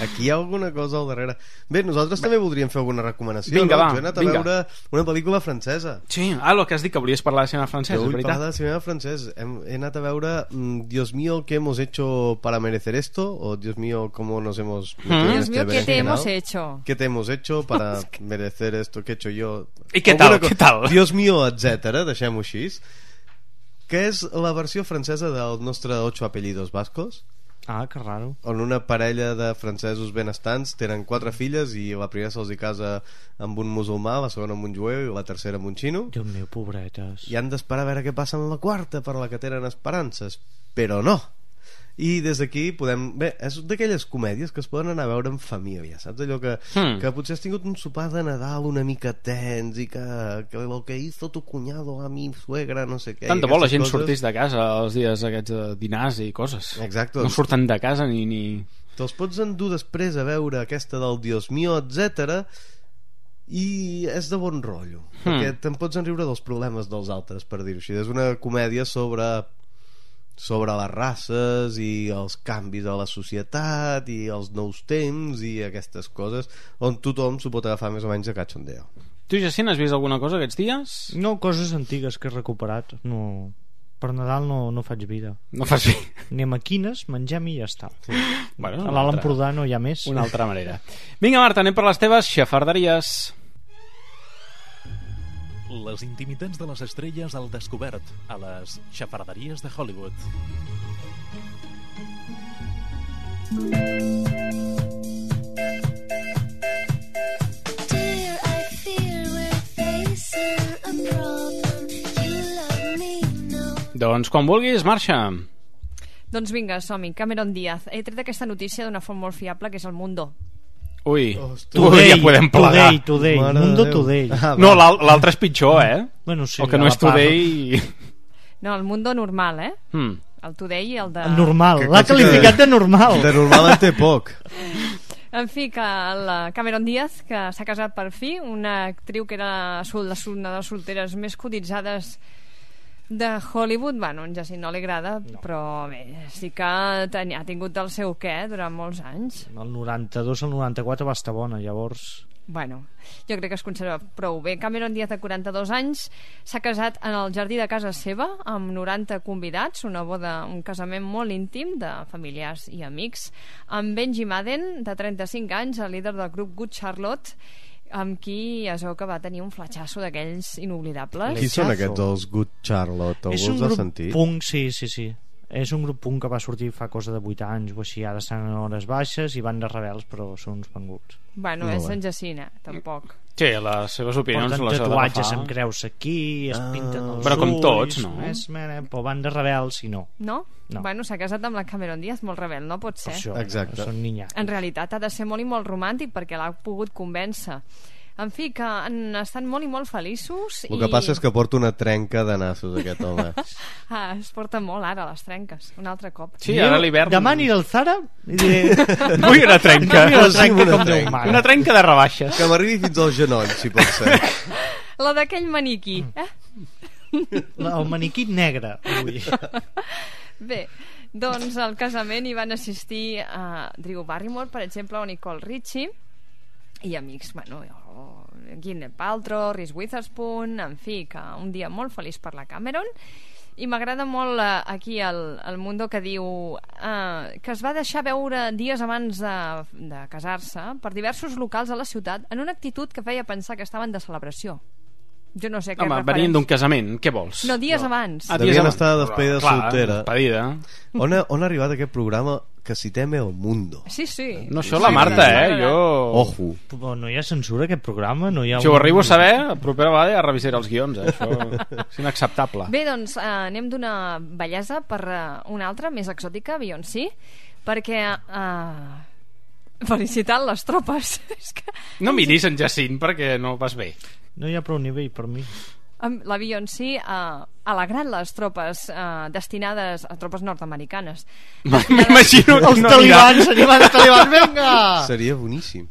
Aquí hi ha alguna cosa al darrere. Bé, nosaltres també voldríem fer alguna recomanació. Vinga, no? va, Jo he anat a veure una pel·lícula francesa. Sí, el que has dit, que volies parlar de cinema francès, Jo és vull veritat. parlar de cinema francès. He anat a veure Dios mío, ¿qué hemos hecho para merecer esto? O Dios mío, ¿cómo nos hemos metido en Dios este mío, ¿qué te berenjenal? hemos hecho? ¿Qué te hemos hecho para merecer esto que he hecho yo? I què tal, què tal? Dios mío, etcètera, deixem-ho així. Que és la versió francesa del nostre 8 apellidos vascos. Ah, que raro. On una parella de francesos benestants tenen 4 filles i la primera se'ls hi casa amb un musulmà, la segona amb un jueu i la tercera amb un xino. Déu meu, pobretes. I han d'esperar a veure què passa en la quarta, per la que tenen esperances. Però no. I des d'aquí podem... Bé, és d'aquelles comèdies que es poden anar a veure en família, saps? Allò que potser has tingut un sopar de Nadal una mica tens i que lo que hizo tu cuñado a mi suegra, no sé què. Tant de bo la gent sortís de casa els dies aquests de dinars i coses. Exacte. No surten de casa ni... Te'ls pots endur després a veure aquesta del Dios mío, etcètera, i és de bon rotllo, perquè te'n pots enriure dels problemes dels altres, per dir-ho així. És una comèdia sobre les races i els canvis a la societat i els nous temps i aquestes coses, on tothom s'ho pot agafar més o menys a cachondeo. Tu, Jacint, has vist alguna cosa aquests dies? No, coses antigues que he recuperat. No, per Nadal no faig vida. No fas vida. Anem a quines, mengem i ja està. Sí. Bueno, a l'Alt Empordà no hi ha més. Una altra manera. Vinga, Marta, anem per les teves xafarderies. Les intimitats de les estrelles al descobert a les xafarderies de Hollywood. Dear, I fear we're facing a problem. You love me, no. Doncs quan vulguis, marxa. Doncs vinga, som-hi. Cameron Díaz. He tret aquesta notícia d'una font molt fiable, que és El Mundo. Ui, Today, ja podem plegar. Today, Mundo Today. No, l'altre és pitjor, Bueno, sí, el que no és Today... No, el Mundo normal, El Today i el de... Normal, l'ha qualificat de normal. De normal en té poc. En fi, que la Cameron Díaz, que s'ha casat per fi, una actriu que era una de les solteres més cotitzades de Hollywood. Bueno, en Jacint no li agrada, però bé, sí que ha tingut el seu què durant molts anys. El 92 al 94 va estar bona, llavors... Bueno, jo crec que es conserva prou bé. Cameron Díaz, de 42 anys, s'ha casat en el jardí de casa seva amb 90 convidats, una boda, un casament molt íntim de familiars i amics, amb Benji Madden, de 35 anys, el líder del grup Good Charlotte, amb qui es veu que va tenir un fletxasso d'aquells inoblidables. Qui són aquests, els Good Charlotte? És un grup punk, sí. És un grup punk que va sortir fa cosa de 8 anys o així, ara estan en hores baixes i van de rebels, però són uns penguts. Bueno, és en Jacint, tampoc. Sí, les seves opinions porten les ha tatuatges amb creus aquí, es pinten els però com tots, ulls, no? Però van de rebels i no. No? Bueno, s'ha casat amb la Cameron Díaz, molt rebel, no pot ser. Això, exacte. Són niñats. En realitat ha de ser molt i molt romàntic perquè l'ha pogut convèncer. En fi, que han estat molt i molt feliços. El que passa és que porta una trenca de nassos, aquest home. Es porta molt ara, les trenques, un altre cop. Sí, ara l'hivern... Demà aniré al Zara i diré... Vull una trenca. Una trenca de rebaixes. Que m'arribi fins al genoll, si pot ser. La d'aquell maniquí, El maniquí negre. Bé, doncs al casament hi van assistir a Drew Barrymore, per exemple, o Nicole Richie, i amics, bueno, Gwyneth Paltrow, Reese Witherspoon, en fi, que un dia molt feliç per la Cameron. I m'agrada molt aquí el Mundo, que diu que es va deixar veure dies abans de casar-se per diversos locals a la ciutat en una actitud que feia pensar que estaven de celebració. Jo no sé què refereix. Venien d'un casament, què vols? No, dies abans. Devien estar de despedida clar, soltera. Despedida. On ha arribat aquest programa que si teme el mundo. Sí. No, això la Marta, jo... Ojo. No hi ha censura aquest programa? No hi ha si ho arribo a saber, la propera vegada ja revisaré els guions, això és inacceptable. Bé, doncs anem d'una bellesa per una altra, més exòtica, Beyoncé, perquè felicitant les tropes. No miris en Jacint perquè no vas bé. No hi ha prou nivell per mi. La Beyoncé alegrant les tropes destinades a tropes nord-americanes. M'imagino els talibans, venga! Seria boníssim.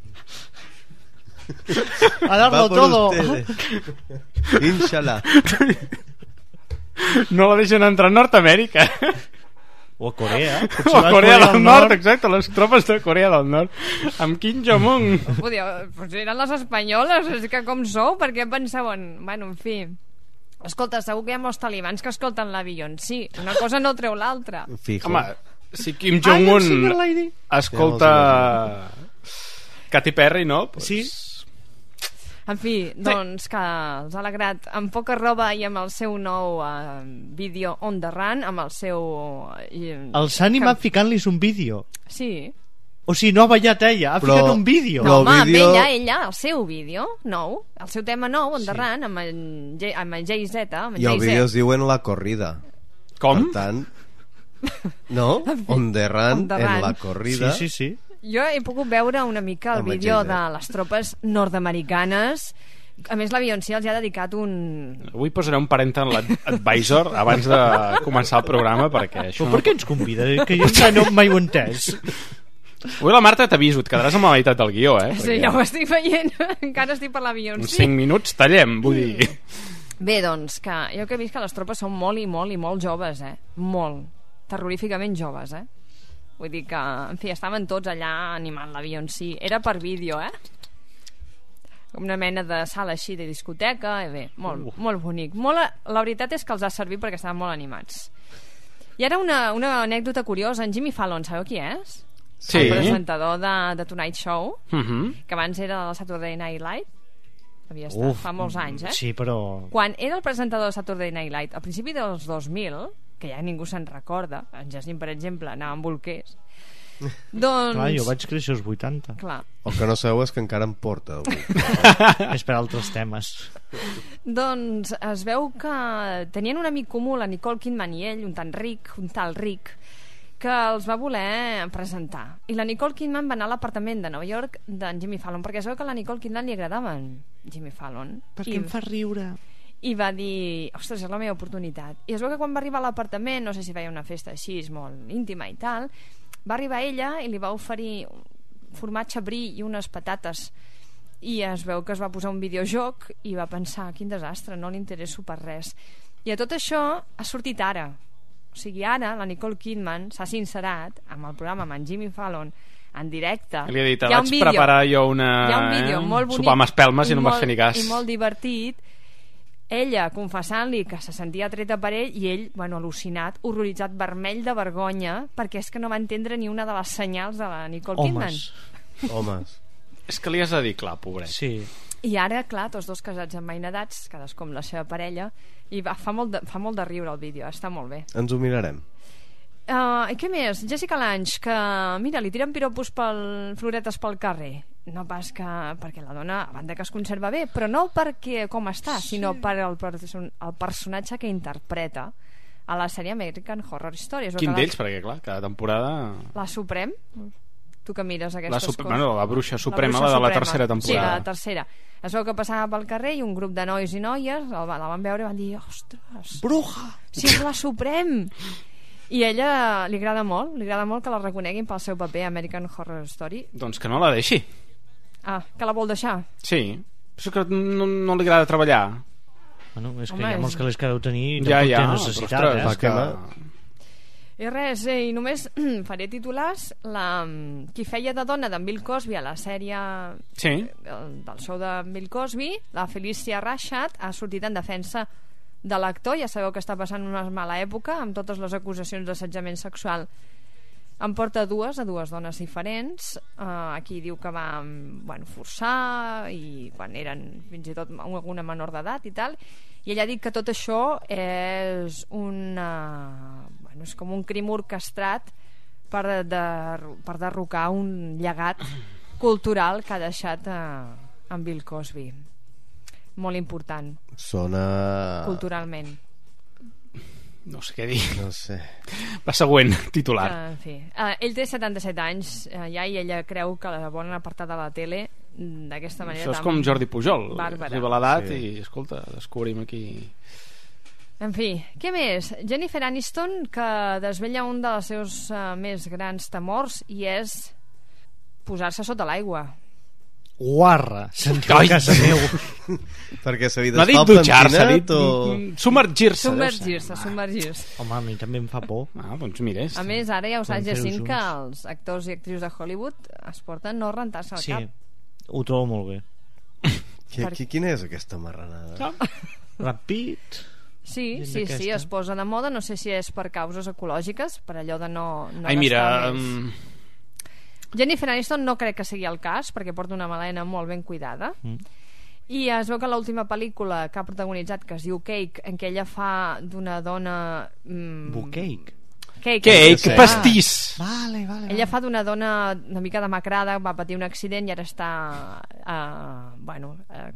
A darlo todo. Inshallah. No la deixen entrar a Nord-Amèrica. O a Corea. O a Corea del Nord, exacte, les tropes de Corea del Nord. Amb Kim Jong-un. Pues eren les espanyoles, és que com sou? Per què pensaven? Bueno, en fi. Escolta, segur que hi ha molts talibans que escolten la Beyoncé. Una cosa no treu l'altra. Home, si Kim Jong-un escolta Katy Perry, no? Pues... Sí. En fi, doncs que els ha alegrat amb poca roba i amb el seu nou vídeo On The Run, amb el seu... Els ha animat ficant-lis un vídeo. Sí. O sigui, no ha ballat ella, ha ficat un vídeo. No, home, vídeo... amb ella, el seu vídeo nou, el seu tema nou, On The Run, amb el Jay-Z. I el vídeo es diuen La Corrida. Com? Per tant... No? On The Run en La Corrida. Sí. Jo he pogut veure una mica el vídeo de les tropes nord-americanes. A més, la Beyoncé els ha dedicat un... Avui posaré un parental advisor abans de començar el programa, perquè això... Però per què ens convida? Que jo no mai ho he entès. Avui la Marta t'aviso, et quedaràs amb la meitat del guió, eh? Sí, ja ho estic veient. Encara estic per la Beyoncé. Uns 5 minuts tallem, vull dir... Bé, doncs, que jo que he vist que les tropes són molt i molt joves, molt. Terroríficament joves, Vull dir que, en fi, estaven tots allà animant la Beyoncé. Era per vídeo, Com una mena de sala així de discoteca. I bé, molt bonic. La veritat és que els ha servit perquè estaven molt animats. I ara una anècdota curiosa. En Jimmy Fallon, sabeu qui és? Sí. El presentador de Tonight Show, que abans era del Saturday Night Live. Havia estat fa molts anys, Sí, però... Quan era el presentador de Saturday Night Live, al principi dels 2000... que ja ningú se'n recorda, en Jacint, per exemple, anava amb bolquers. Doncs... Clar, jo vaig créixer als 80. Clar. El que no sabeu és que encara em porta. És per altres temes. Doncs es veu que tenien un amic comú, la Nicole Kidman i ell, un tal Rick, que els va voler presentar. I la Nicole Kidman va anar a l'apartament de Nova York d'en Jimmy Fallon, perquè es veu que a la Nicole Kidman li agradava en Jimmy Fallon. Perquè em fa riure. I va dir, ostres, és la meva oportunitat. I es veu que quan va arribar a l'apartament, no sé si feia una festa així, molt íntima i tal, va arribar ella i li va oferir formatge brie i unes patates, i es veu que es va posar un videojoc i va pensar, quin desastre, no li interesso per res. I a tot això ha sortit ara. O sigui, ara la Nicole Kidman s'ha sincerat amb el programa amb en Jimmy Fallon en directe. Li ha dit, vaig preparar jo un vídeo molt bonic, sopar amb espelmes i no em vas fer ni cas. I molt divertit, ella confessant-li que se sentia atreta per ell i ell, al·lucinat, horroritzat, vermell de vergonya, perquè és que no va entendre ni una de les senyals de la Nicole Kidman. Homes. És que li has de dir clar, pobret. Sí. I ara, clar, tots dos casats emmainadats, cadascú amb la seva parella, i fa molt de riure el vídeo, està molt bé. Ens ho mirarem. I què més? Jessica Lange, que mira, li tiren piropos floretes pel carrer. No pas que perquè la dona, a banda que es conserva bé, però no perquè com està, sinó per el personatge que interpreta a la sèrie American Horror Story. Quin d'ells? Perquè clar, cada temporada... La Suprem? Tu que mires aquestes coses. Bueno, la bruixa suprema, la de la tercera temporada. Sí, la tercera. Es veu que passava pel carrer i un grup de nois i noies la van veure i van dir, ostres, bruja! Sí, és la Suprem! I a ella li agrada molt que la reconeguin pel seu paper a American Horror Story. Doncs que no la deixi. Ah, que la vol deixar? Sí, però que no li agrada treballar. Bueno, és que hi ha molts que les que deu tenir i ja, té necessitat. I res, i només faré titulars. Qui feia de dona d'en Bill Cosby a la sèrie del show de Bill Cosby, la Felicia Rashad, ha sortit en defensa de l'actor. Ja sabeu que està passant una mala època amb totes les acusacions d'assetjament sexual. En porta dues dones diferents. Aquí diu que va forçar, i quan eren fins i tot alguna menor d'edat i tal, i ella ha dit que tot això és és com un crim orquestrat per derrocar un llegat cultural que ha deixat en Bill Cosby. Molt important. Sona... culturalment. No sé què dir. No sé. La següent, titular. En fi. Ell té 77 anys ja i ella creu que la volen apartar de la tele d'aquesta manera. Això és com Jordi Pujol. Bàrbara. Arriba l'edat i, escolta, descobrim aquí... En fi, què més? Jennifer Aniston, que desvella un dels seus més grans temors i és posar-se sota l'aigua. Guarra, sentiu a casa meu. Perquè s'ha dit no ha dit dutxar-se, ha dit submergir-se. Submergir-se. Home, a mi també em fa por. Doncs mira. A més, ara ja ho saps, Jacint, que els actors i actrius de Hollywood es porten no rentar-se al cap. Sí, ho trobo molt bé. Quina és aquesta marranada? Ràpid. Sí, es posa de moda. No sé si és per causes ecològiques, per allò de no Ai, mira... Jennifer Aniston no crec que sigui el cas, perquè porta una melena molt ben cuidada. I es veu que l'última pel·lícula que ha protagonitzat, que es diu Cake, en què ella fa d'una dona... Cake? Cake, pastís. Vale. Ella fa d'una dona una mica demacrada, va patir un accident i ara està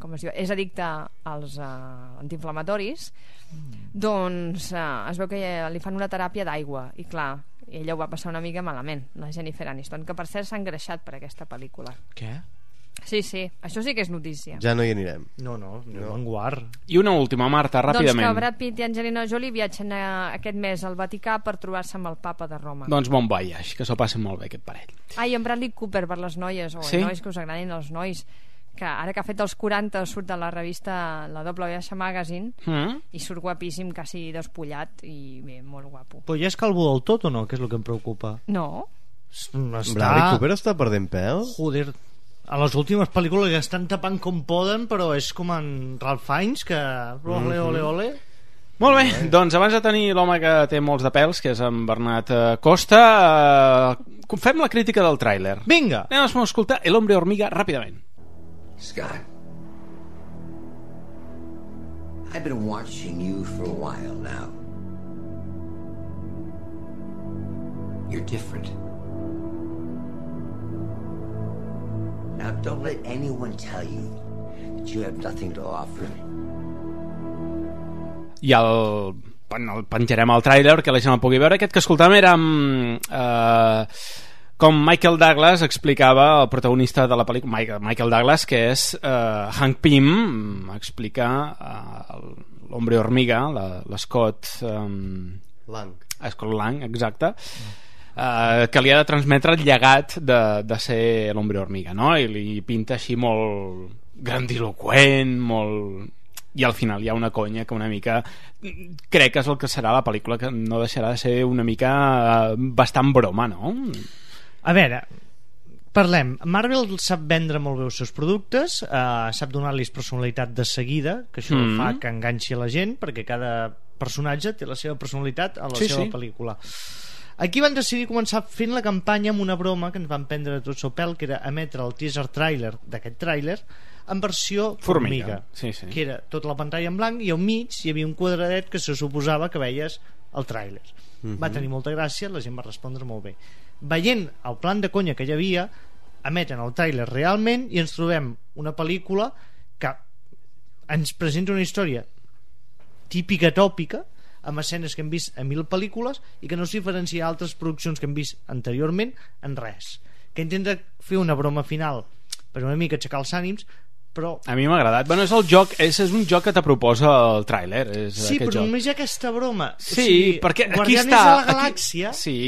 com es diu, és addicta als antiinflamatoris. Doncs es veu que li fan una teràpia d'aigua i clar, ella ho va passar una mica malament, la Jennifer Aniston, que per cert s'ha engreixat per aquesta pel·lícula. Què? Sí, això sí que és notícia. Ja no hi anirem. No, en guard. I una última, Marta, ràpidament. Doncs que Brad Pitt i Angelina Jolie viatgen aquest mes al Vaticà per trobar-se amb el papa de Roma. Doncs bon voyage, que s'ho passen molt bé aquest parell. I en Bradley Cooper per les noies, nois que us agradin els nois, que ara que ha fet els 40 surt de la revista la WH Magazine i surt guapíssim, quasi despullat i bé, molt guapo. Però ja és calvo del tot o no? Que és el que em preocupa. No. Bradley Cooper està perdent pèl? Joder, a les últimes pel·lícules que estan tapant com poden, però és com en Ralph Fiennes, que ole. Molt bé, doncs abans de tenir l'home que té molts de pèls, que és en Bernat Costa, fem la crítica del tràiler. Vinga! Anem a escoltar El hombre hormiga ràpidament. Scott, I've been watching you for a while now. You're different. Now don't let anyone tell you that you have nothing to offer. I el penjarem al tràiler que la gent el pugui veure. Aquest que escoltàvem era com Michael Douglas explicava, el protagonista de la pel·lícula, Michael Douglas, que és Hank Pym, explica l'hombre hormiga, l'Scott Lang, exacte, que li ha de transmetre el llegat de ser l'hombre hormiga, no? I li pinta així molt grandiloquent, molt... I al final hi ha una conya que una mica crec que és el que serà la pel·lícula, que no deixarà de ser una mica bastant broma, no? A veure, parlem. Marvel sap vendre molt bé els seus productes, sap donar-los personalitat de seguida, que això fa que enganxi a la gent, perquè cada personatge té la seva personalitat a la seva pel·lícula. Aquí van decidir començar fent la campanya amb una broma que ens van prendre tots el pèl, que era emetre el teaser trailer d'aquest tràiler en versió formiga. Que era tota la pantalla en blanc i al mig hi havia un quadradet que se suposava que veies el tràiler. Va tenir molta gràcia, la gent va respondre molt bé. Veient el plan de conya que hi havia, emeten el tràiler realment i ens trobem una pel·lícula que ens presenta una història típica tòpica, amb escenes que hem vist a 1000 pel·lícules i que no es diferencia d'altres produccions que hem vist anteriorment en res, que intenta fer una broma final per una mica aixecar els ànims, però... A mi m'ha agradat. Bueno, és el joc, és un joc que te proposa el tràiler. Sí, però només hi ha aquesta broma. Sí, perquè aquí està... Guardianes de la Galàxia... Sí,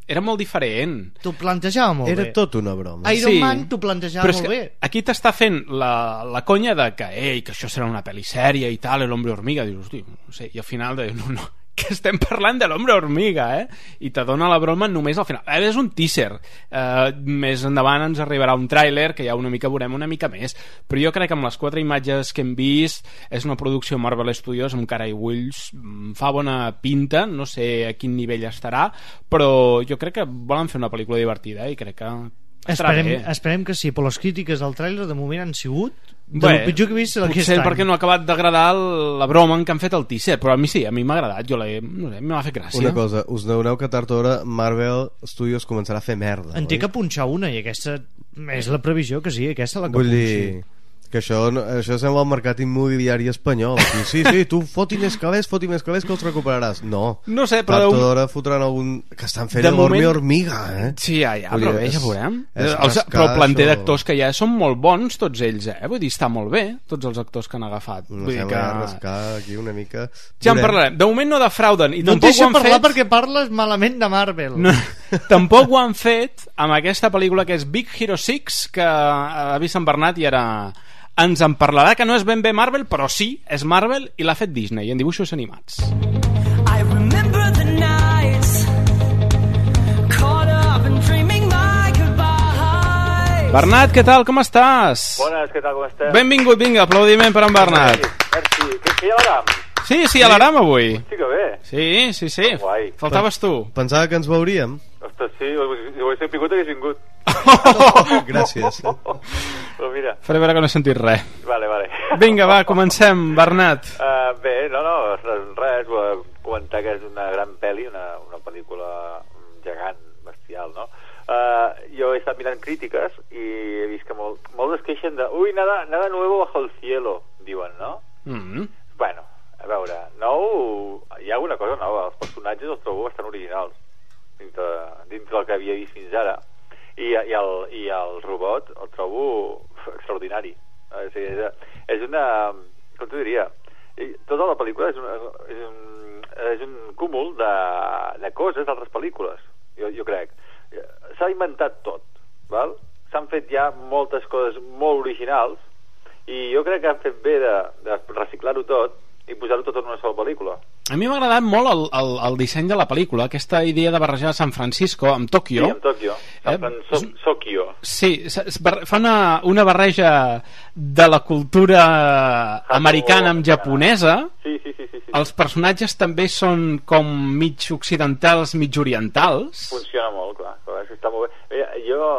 era molt diferent. T'ho plantejava molt bé. Era tot una broma. Iron Man t'ho plantejava molt bé. Aquí t'està fent la conya de que això serà una pel·li sèria i tal, l'hombre hormiga. Dius, hosti, no sé, i al final no, que estem parlant de l'hombre hormiga, i te dona la broma només al final. És un teaser, més endavant ens arribarà un tràiler que ja una mica veurem una mica més, però jo crec que amb les 4 imatges que hem vist és una producció Marvel Studios amb cara i ulls, fa bona pinta, no sé a quin nivell estarà, però jo crec que volen fer una pel·lícula divertida i crec que esperem que sí, però les crítiques del tràiler de moment han sigut Del pitjor que he vist aquest potser any. perquè no ha acabat d'agradar la broma en què han fet el teaser, però a mi sí, a mi m'ha agradat, no sé, m'ha fet gràcia. Una cosa, us n'adoneu que tard o d'hora Marvel Studios començarà a fer merda. En té que punxar una, i aquesta és la previsió que sí, aquesta la que Vull punxi. dir que això sembla el mercat immobiliari espanyol. Sí, tu foti més calés que els recuperaràs. No sé, però tard o d'hora fotran algun... que estan fent l'Hormi Hormiga, Sí, però bé, ja veurem. Però el planter d'actors que hi ha són molt bons, tots ells, vull dir, està molt bé, tots els actors que han agafat. No sé, m'ha de rascar aquí una mica. Ja en parlarem. De moment no defrauden. No et deixo parlar perquè parles malament de Marvel. Tampoc ho han fet amb aquesta pel·lícula que és Big Hero 6, que ha vist en Bernat i ara ens en parlarà, que no és ben bé Marvel, però sí, és Marvel i l'ha fet Disney en dibuixos animats. I remember the nights caught up and dreaming my goodbye. Bernat, què tal, com estàs? Bones, què tal, com estàs? Benvingut, vinga, aplaudiment per en Bernat. Merci. Que hi ha l'aram? Sí, a l'aram avui. Hosti, que bé. Sí. Faltaves tu. Pensava que ens veuríem. Ostres, sí, si ho hagués sabut hagués vingut. Gràcies. Però mira. Faré veure que no he sentit res. Vale. Vinga, va, comencem, Bernat. Bé, res, comentar que és una gran pel·li, una pel·lícula gegant, bestial, no? Jo he estat mirant crítiques i he vist que molts es queixen de nada nuevo bajo el cielo, diuen, no? Bueno, a veure, hi ha alguna cosa nova. Els personatges els trobo bastant originals dintre del que havia vist fins ara, i el robot el trobo extraordinari. És una, com t'ho diria, tota la pel·lícula és un cúmul de coses d'altres pel·lícules, jo crec. S'ha inventat tot, val? S'han fet ja moltes coses molt originals i jo crec que han fet bé de reciclar-ho tot i posar-ho tot en una sola pel·lícula. A mi m'ha agradat molt el disseny de la pel·lícula, aquesta idea de barrejar San Francisco amb Tòquio. Sí, amb Tòquio. Tòquio. Sí, fa una barreja de la cultura americana amb japonesa. Sí. Els personatges també són com mig occidentals, mig orientals. Funciona molt, clar, està molt bé. Jo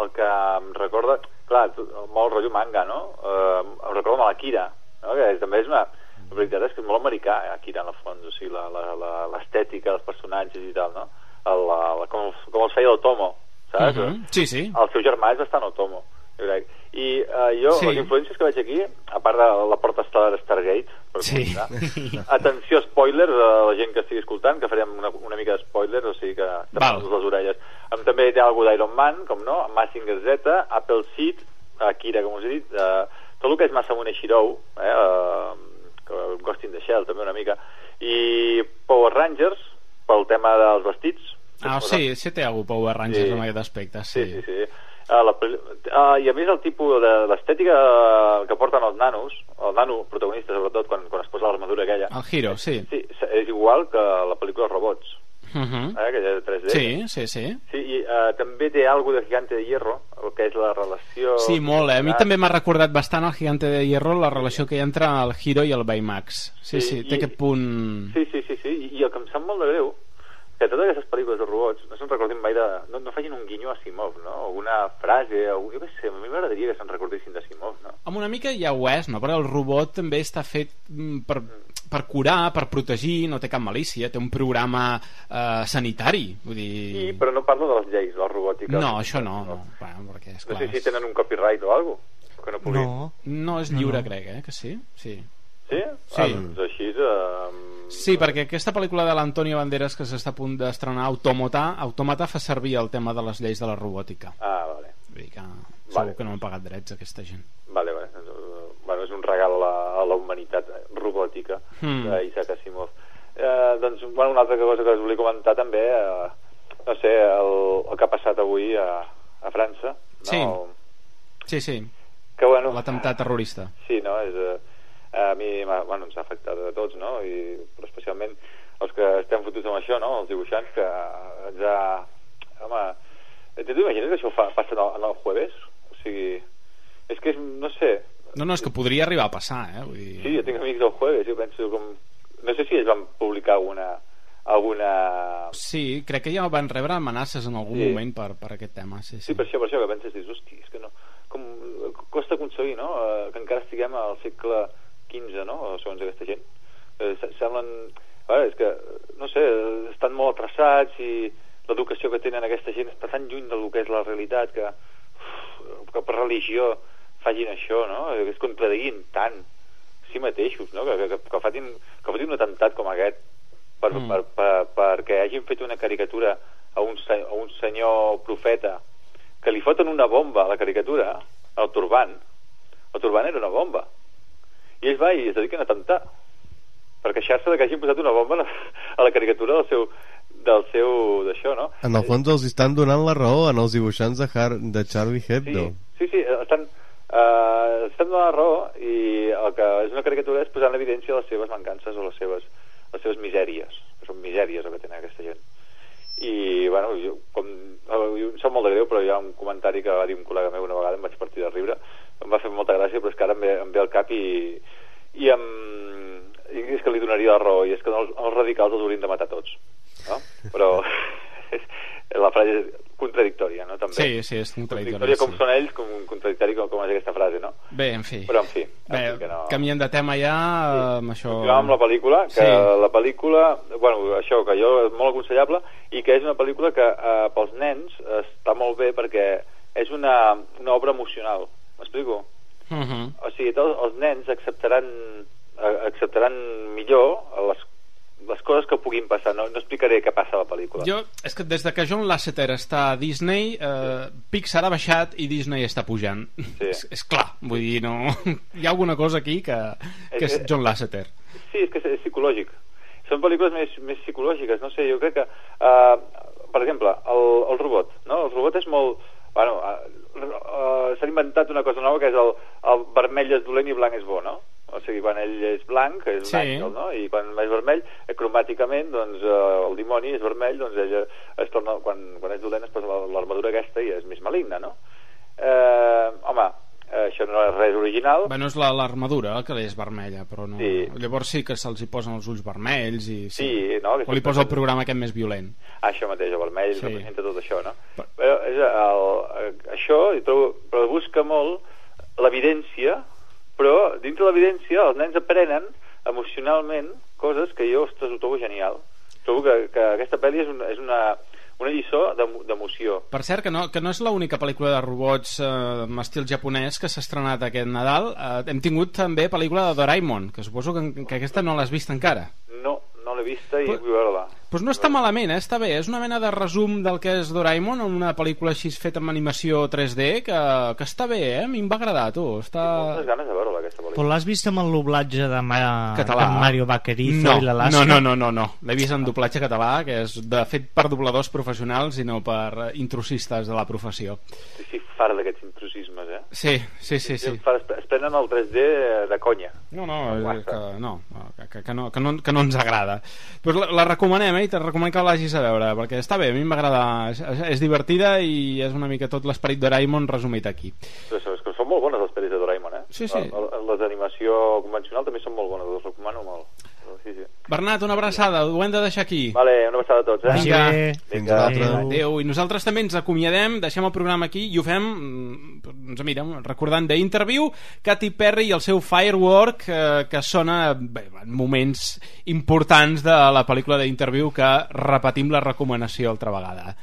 el que em recorda, clar, molt rotllo manga, no? Em recorda amb l'Akira, no? Que també és una... La veritat és que és molt americà, Akira, en el fons, o sigui, l'estètica dels personatges i tal, no? Com els feia l'Otomo, saps? Sí. El seu germà és bastant Otomo, jo crec. I les influències que veig aquí, a part de la porta estel·lar Stargate, per comentar, atenció, spoilers a la gent que estigui escoltant, que farem una mica de spoilers, o sigui que tapem les orelles. També té alguna d'Iron Man, com no, Mazinger Z, Apple Seed, Akira, com us he dit, tot el que és Masamune Shirou, Ghost in the Shell també una mica, i Power Rangers pel tema dels vestits. Sí té algú Power Rangers en aquest aspecte. Sí. I a més el tipus de l'estètica que porten els nanos, el nano protagonista sobretot quan es posa l'armadura aquella, el Hiro, sí, és igual que la pel·lícula Robots, aquella de 3D. Sí, i també té alguna de Gigante de Hierro, el que és la relació... Sí, molt, a mi també m'ha recordat bastant el Gigante de Hierro, la relació que hi ha entre el Hiro i el Baymax. Sí, té aquest punt... Sí, i el que em sap molt de greu, que totes aquestes pel·lícules de robots no se'n recordin mai no facin un guinyo a Asimov, no? Alguna frase, jo què sé, a mi m'agradaria que se'n recordessin d'Asimov, no? Amb una mica ja ho és, no? Perquè el robot també està fet per curar, per protegir, no té cap malícia, té un programa sanitari, vull dir... Sí, però no parlo de les lleis de la robòtica. No, això no. Bueno, perquè, esclar, no sé si tenen un copyright o alguna cosa, que no puguin... No és lliure, crec, que sí? Sí? Doncs així... Sí, perquè aquesta pel·lícula de l'Antonio Banderas que s'està a punt d'estrenar, Automata fa servir el tema de les lleis de la robòtica. Vale. Vull dir que segur que no han pagat drets aquesta gent. Vale. Bueno, és un regal a la humanitat robòtica d'Isaac Asimov. Doncs, bueno, una altra cosa que us volia comentar també, no sé, el que ha passat avui a França, no? Sí. Que, bueno, l'atemptat terrorista. Sí, no? A mi ens ha afectat a tots, no? Però especialment els que estem fotuts amb això, no? Els dibuixants, que ens ha... Home, t'imagines que això passa en el jueves? O sigui, és que és, no sé... No, és que podria arribar a passar, Vull dir... Sí, jo tinc amics del jueves, jo penso com... No sé si ells van publicar alguna... Sí, crec que ja van rebre amenaces en algun moment per aquest tema. Sí, per això que penses, hosti, és que no... Com costa aconseguir, no?, que encara estiguem al segle XV, no?, segons aquesta gent. Semblen... és que, no sé, estan molt atrasats i l'educació que tenen aquesta gent està tan lluny del que és la realitat que per religió facin això, no?, que es contradiguin tant si mateixos, no?, que fotin un atemptat com aquest perquè hagin fet una caricatura a un senyor profeta que li foten una bomba a la caricatura, al turbant. El turbant era una bomba i ells es dediquen a atemptar per queixar-se que hagin posat una bomba a la caricatura del seu d'això, no? En el fons els estan donant la raó en els dibuixants de Charlie Hebdo. Sí, estan donant la raó i el que és una caricatura és posar en evidència les seves mancances o les seves misèries, que són misèries el que tenen aquesta gent. I, bueno, jo em sap molt de greu, però hi ha un comentari que va dir un col·lega meu una vegada, em vaig partir de riure, em va fer molta gràcia, però és que ara em ve al cap i és que li donaria la raó, i és que els radicals els haurien de matar tots, no? Però la frase és contradictòria, no? També. Sí, és contradictòria. Com són ells, com contradictori com és aquesta frase, no? Bé, en fi. Però, en fi. Canviem de tema ja amb això... Continuem amb la pel·lícula, la pel·lícula, bueno, això, que jo és molt aconsellable, i que és una pel·lícula que pels nens està molt bé perquè és una obra emocional. M'explico? O sigui, els nens acceptaran millor les coses que puguin passar. No explicaré què passa a la pel·lícula. És que des de que John Lasseter està a Disney, Pixar ha baixat i Disney està pujant. És clar, vull dir, no... Hi ha alguna cosa aquí que és John Lasseter. Sí, és que és psicològic. Són pel·lícules més psicològiques, no sé, jo crec que per exemple, el robot, no? El robot és molt... Bueno, s'ha inventat una cosa nova que és el vermell és dolent i blanc és bo, no? O sigui, quan ell és blanc, és un àngel, no? I quan és vermell, cromàticament, doncs el dimoni és vermell, doncs ell es torna, quan és dolent es posa l'armadura aquesta i és més maligna, no? Home, això no és res original. Bueno, és l'armadura que és vermella, però no... Llavors sí que se'ls hi posen els ulls vermells i... O li posa el programa aquest més violent. Això mateix, el vermell representa tot això, no? Però això, però busca molt l'evidència, però dintre de l'evidència els nens aprenen emocionalment coses que jo, ostres, ho trobo genial. Trobo que aquesta pel·li és una lliçó d'emoció. Per cert, que no és l'única pel·lícula de robots amb estil japonès que s'ha estrenat aquest Nadal. Hem tingut també pel·lícula de Doraemon, que suposo que aquesta no l'has vist encara. No l'he vista i vull veure-la. Doncs no està malament, està bé. És una mena de resum del que és Doraemon, una pel·lícula així feta amb animació 3D que està bé, A mi em va agradar, tu. Tinc moltes ganes de veure-la, aquesta pel·lícula. Però l'has vist amb el doblatge de Mario Vaquerizo i l'Alaska? No. L'he vist en doblatge català, que és de fet per dobladors professionals i no per intrusistes de la professió. Sí, fart d'aquests intrusismes, eh? Sí. Es prenen el 3D de conya. Que no ens agrada. Pues la recomanem, i te recomanem que l'hagis a veure, perquè està bé, a mi m'agrada, és divertida i és una mica tot l'esperit de Doraemon resumit aquí. Però és que són molt bones les pel·lis de Doraemon, eh? Sí. Les d'animació convencional també són molt bones, les recomano molt. Sí. Bernat, una abraçada, ho hem de deixar aquí. Vale, una abraçada a tots, eh? Vinga. Adéu. I nosaltres també ens acomiadem, deixem el programa aquí i ho fem, recordant d'Interview, Katy Perry i el seu Firework, que sona en moments importants de la pel·lícula d'Interview, que repetim la recomanació altra vegada.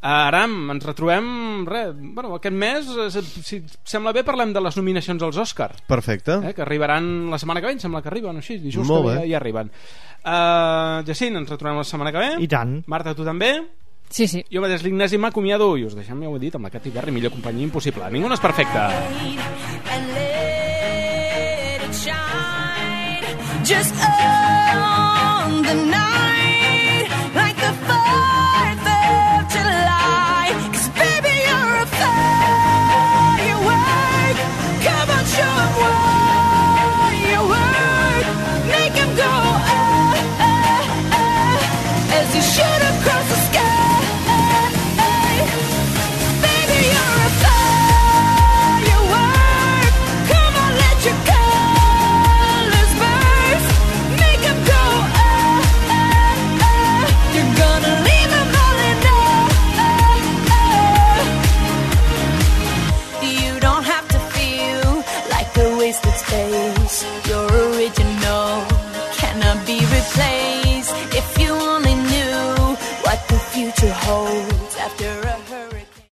Aram, ens retrobem aquest mes, si sembla bé parlem de les nominacions als Òscar. Perfecte. Que arribaran la setmana que ve, em sembla que arriben així, dijous que ja arriben. Jacint, ens retrobem la setmana que ve. I tant. Marta, tu també? Sí. Jo mateix l'Ignasi m'acomiado i us deixem, ja ho he dit, amb la Katy Perry, millor companyia impossible. Ningú no és perfecte. Just on the night